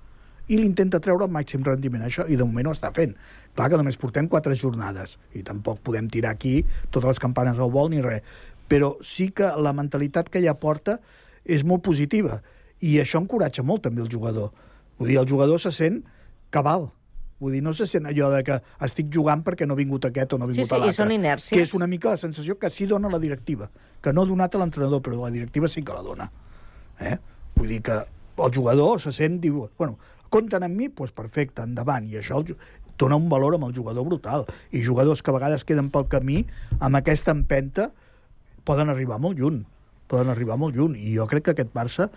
I l'intenta treure el màxim rendiment, això, i de moment ho està fent. Clar que només portem 4 jornades, i tampoc podem tirar aquí totes les campanes al vol ni res. Però sí que la mentalitat que ella porta és molt positiva, i això encoratja molt també el jugador. Vull dir, el jugador se sent cabal. Vull dir, no se sent allò de que estic jugant perquè no ha vingut aquest o no ha vingut l'altre. Sí, i són inèrcies. Que és una mica la sensació que sí dona la directiva, que no ha donat a l'entrenador, però la directiva sí que la dona. Vull dir que el jugador se sent, diu, bueno, compten amb mi? Doncs perfecte, endavant. I això dona un valor amb el jugador brutal. I jugadors que a vegades queden pel camí, amb aquesta empenta, poden arribar molt lluny. I jo crec que aquest Barça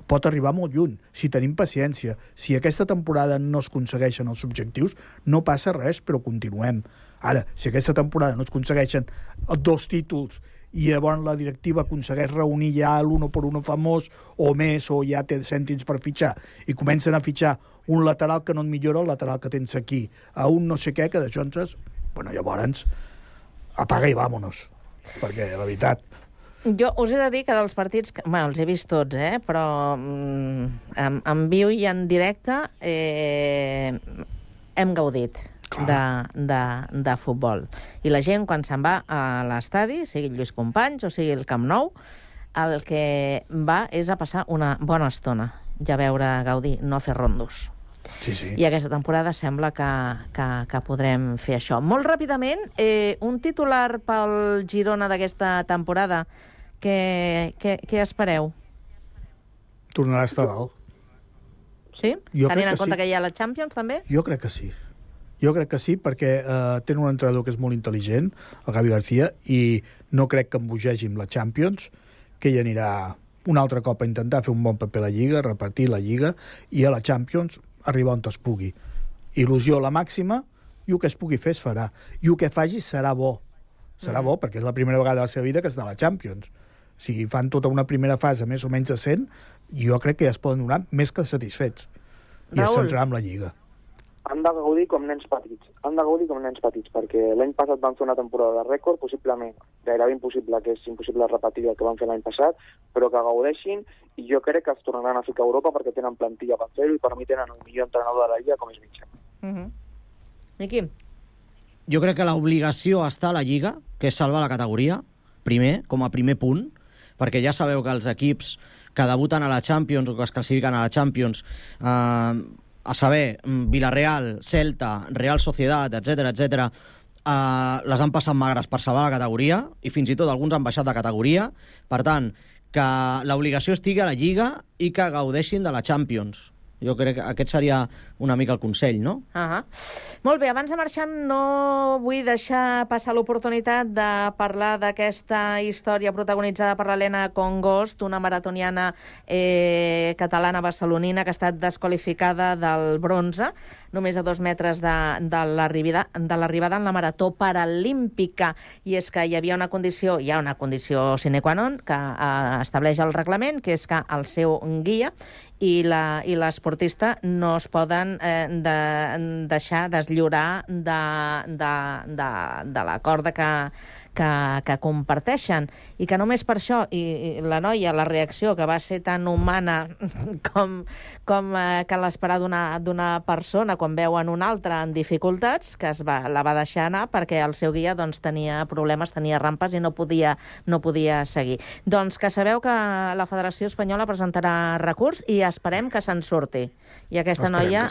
pot arribar molt lluny, si tenim paciència. Si aquesta temporada no es aconsegueixen els objectius, no passa res, però continuem. Ara, si aquesta temporada no es aconsegueixen 2 títols i llavors la directiva aconsegueix reunir ja l'1 per 1 famós o més, o ja té cèntims per fitxar, i comencen a fitxar un lateral que no et millora el lateral que tens aquí, a un no sé què, que d'això bueno, llavors apaga i vámonos, perquè la veritat... Jo us he de dir que dels partits... Bueno, els he vist tots, però en viu i en directe hem gaudit de futbol. I la gent, quan se'n va a l'estadi, sigui el Lluís Companys o sigui el Camp Nou, el que va és a passar una bona estona i a veure gaudir, no a fer rondos. Sí, sí. I aquesta temporada sembla que podrem fer això. Molt ràpidament, un titular pel Girona d'aquesta temporada. Què espereu? Tornarà a estar dalt. Sí? Tenint en compte que hi ha la Champions, també? Jo crec que sí, perquè tenen un entrenador que és molt intel·ligent, el Gavi García, i no crec que embogegi amb la Champions, que ell anirà un altre cop a intentar fer un bon paper a la Lliga, repartir la Lliga, i a la Champions arribar on es pugui. Il·lusió la màxima, i el que es pugui fer es farà. I el que faci serà bo. Serà bo, perquè és la primera vegada de la seva vida que està a la Champions. Si fan tota una primera fase més o menys decent, jo crec que ja es poden donar més que satisfets. I es centrarà amb la Lliga. Han de gaudir com nens petits. Perquè l'any passat van fer una temporada de rècord, possiblement, gairebé impossible, que és impossible repetir el que van fer l'any passat, però que gaudeixin, i jo crec que es tornaran a ficar a Europa perquè tenen plantilla per fer-ho i per mi tenen el millor entrenador de la Lliga com és Mitchell. Miqui? Jo crec que l'obligació està a la Lliga, que és salvar la categoria, primer, com a primer punt, perquè ja sabeu que els equips que debuten a la Champions o que es classifiquen a la Champions a saber, Villarreal, Celta, Real Sociedad, etc, les han passat magres per salvar la categoria i fins i tot alguns han baixat de categoria. Per tant, que l'obligació estigui a la Lliga i que gaudeixin de la Champions. Jo crec que aquest seria una mica el consell, no? Molt bé, abans de marxar no vull deixar passar l'oportunitat de parlar d'aquesta història protagonitzada per l'Helena Congost, una maratoniana catalana barcelonina que ha estat desqualificada del bronze, només a 2 metres de l'arribada en la marató paralímpica. I és que hi ha una condició sine qua non que estableix el reglament, que és que el seu guia i l'esportista no es poden deixar deslliurar de la corda que comparteixen, i que només per això, i la noia, la reacció que va ser tan humana com cal esperar d'una persona quan veuen una altra en dificultats, que la va deixar anar perquè el seu guia tenia problemes, tenia rampes i no podia seguir. Doncs que sabeu que la Federació Espanyola presentarà recurs i esperem que se'n surti i aquesta noia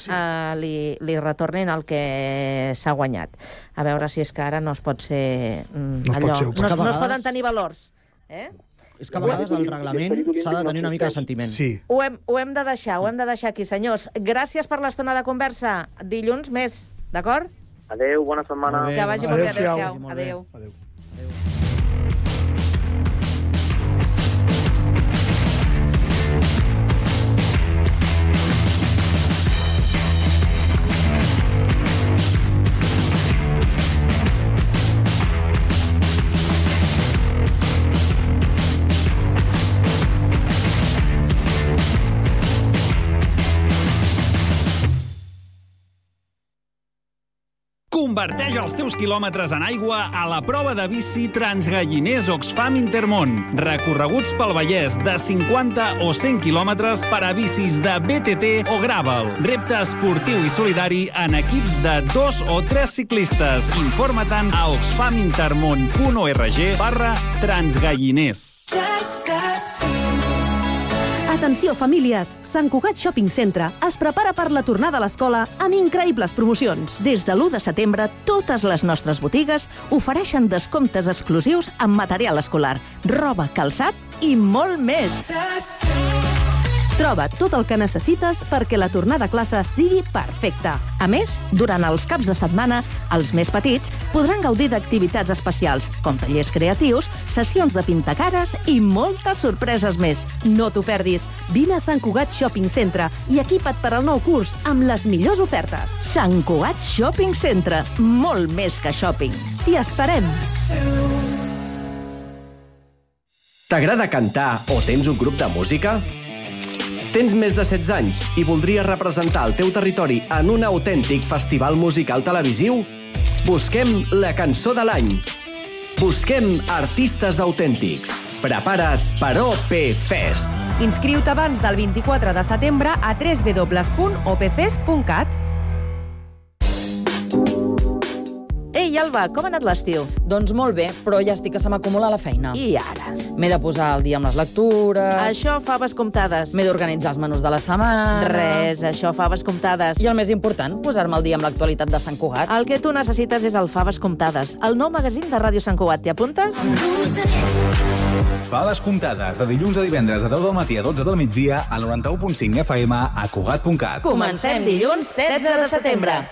li retornin el que s'ha guanyat. A veure si és que ara no es pot ser allò. No es poden tenir valors. És que a vegades el reglament s'ha de tenir una mica de sentiment. Sí. Ho hem de deixar aquí, senyors. Gràcies per l'estona de conversa. Dilluns més, d'acord? Adéu, bona setmana. Que vagi molt bé. Adéu-siau. Adéu. Converteix els teus quilòmetres en aigua a la prova de bici Transgalliners Oxfam Intermón. Recorreguts pel Vallès de 50 o 100 quilòmetres per a bicis de BTT o gravel. Repte esportiu i solidari en equips de 2 o 3 ciclistes. Informa-te'n a oxfamintermon.org/transgalliners. Atenció, famílies! Sant Cugat Shopping Centre es prepara per la tornada a l'escola amb increïbles promocions. Des de l'1 de setembre, totes les nostres botigues ofereixen descomptes exclusius en material escolar, roba, calçat i molt més. Troba tot el que necessites perquè la tornada a classe sigui perfecta. A més, durant els caps de setmana, els més petits podran gaudir d'activitats especials, com tallers creatius, sessions de pintacares i moltes sorpreses més. No t'ho perdis. Vine a Sant Cugat Shopping Centre i equipa't per al nou curs amb les millors ofertes. Sant Cugat Shopping Centre. Molt més que shopping. T'hi esperem. T'agrada cantar o tens un grup de música? Tens més de 16 anys i voldries representar el teu territori en un autèntic festival musical televisiu? Busquem la cançó de l'any. Busquem artistes autèntics. Prepara't per OP-Fest. Inscriu-te abans del 24 de setembre a www.opfest.cat. Ei, Alba, com ha anat l'estiu? Doncs molt bé, però ja estic que se m'acumula la feina. I ara? M'he de posar al dia amb les lectures... Això, faves comptades. M'he d'organitzar els menús de la setmana... Res, això, faves comptades. I el més important, posar-me al dia amb l'actualitat de Sant Cugat. El que tu necessites és el Faves Comptades, el nou magazín de Ràdio Sant Cugat. T'hi apuntes? Faves Comptades, de dilluns a divendres de 10 del matí a 12 del migdia a 91.5 FM a Cugat.cat. Comencem dilluns 16 de setembre.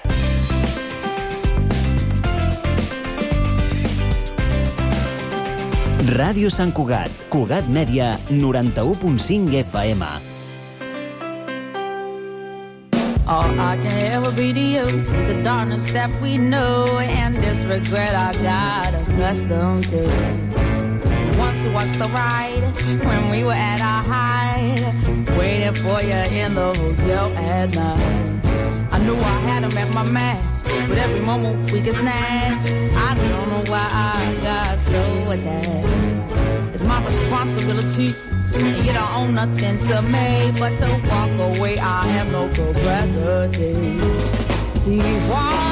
Ràdio Sant Cugat, Cugat Mèdia, 91.5 FM. All I can ever be to you is the darkness that we know and this regret I got accustomed to. Once was the ride when we were at our height, waiting for you in the hotel at night. I knew I had him at my match, but every moment we get snatched. I don't know why I got so attached. It's my responsibility, and you don't own nothing to me, but to walk away I have no capacity. He walked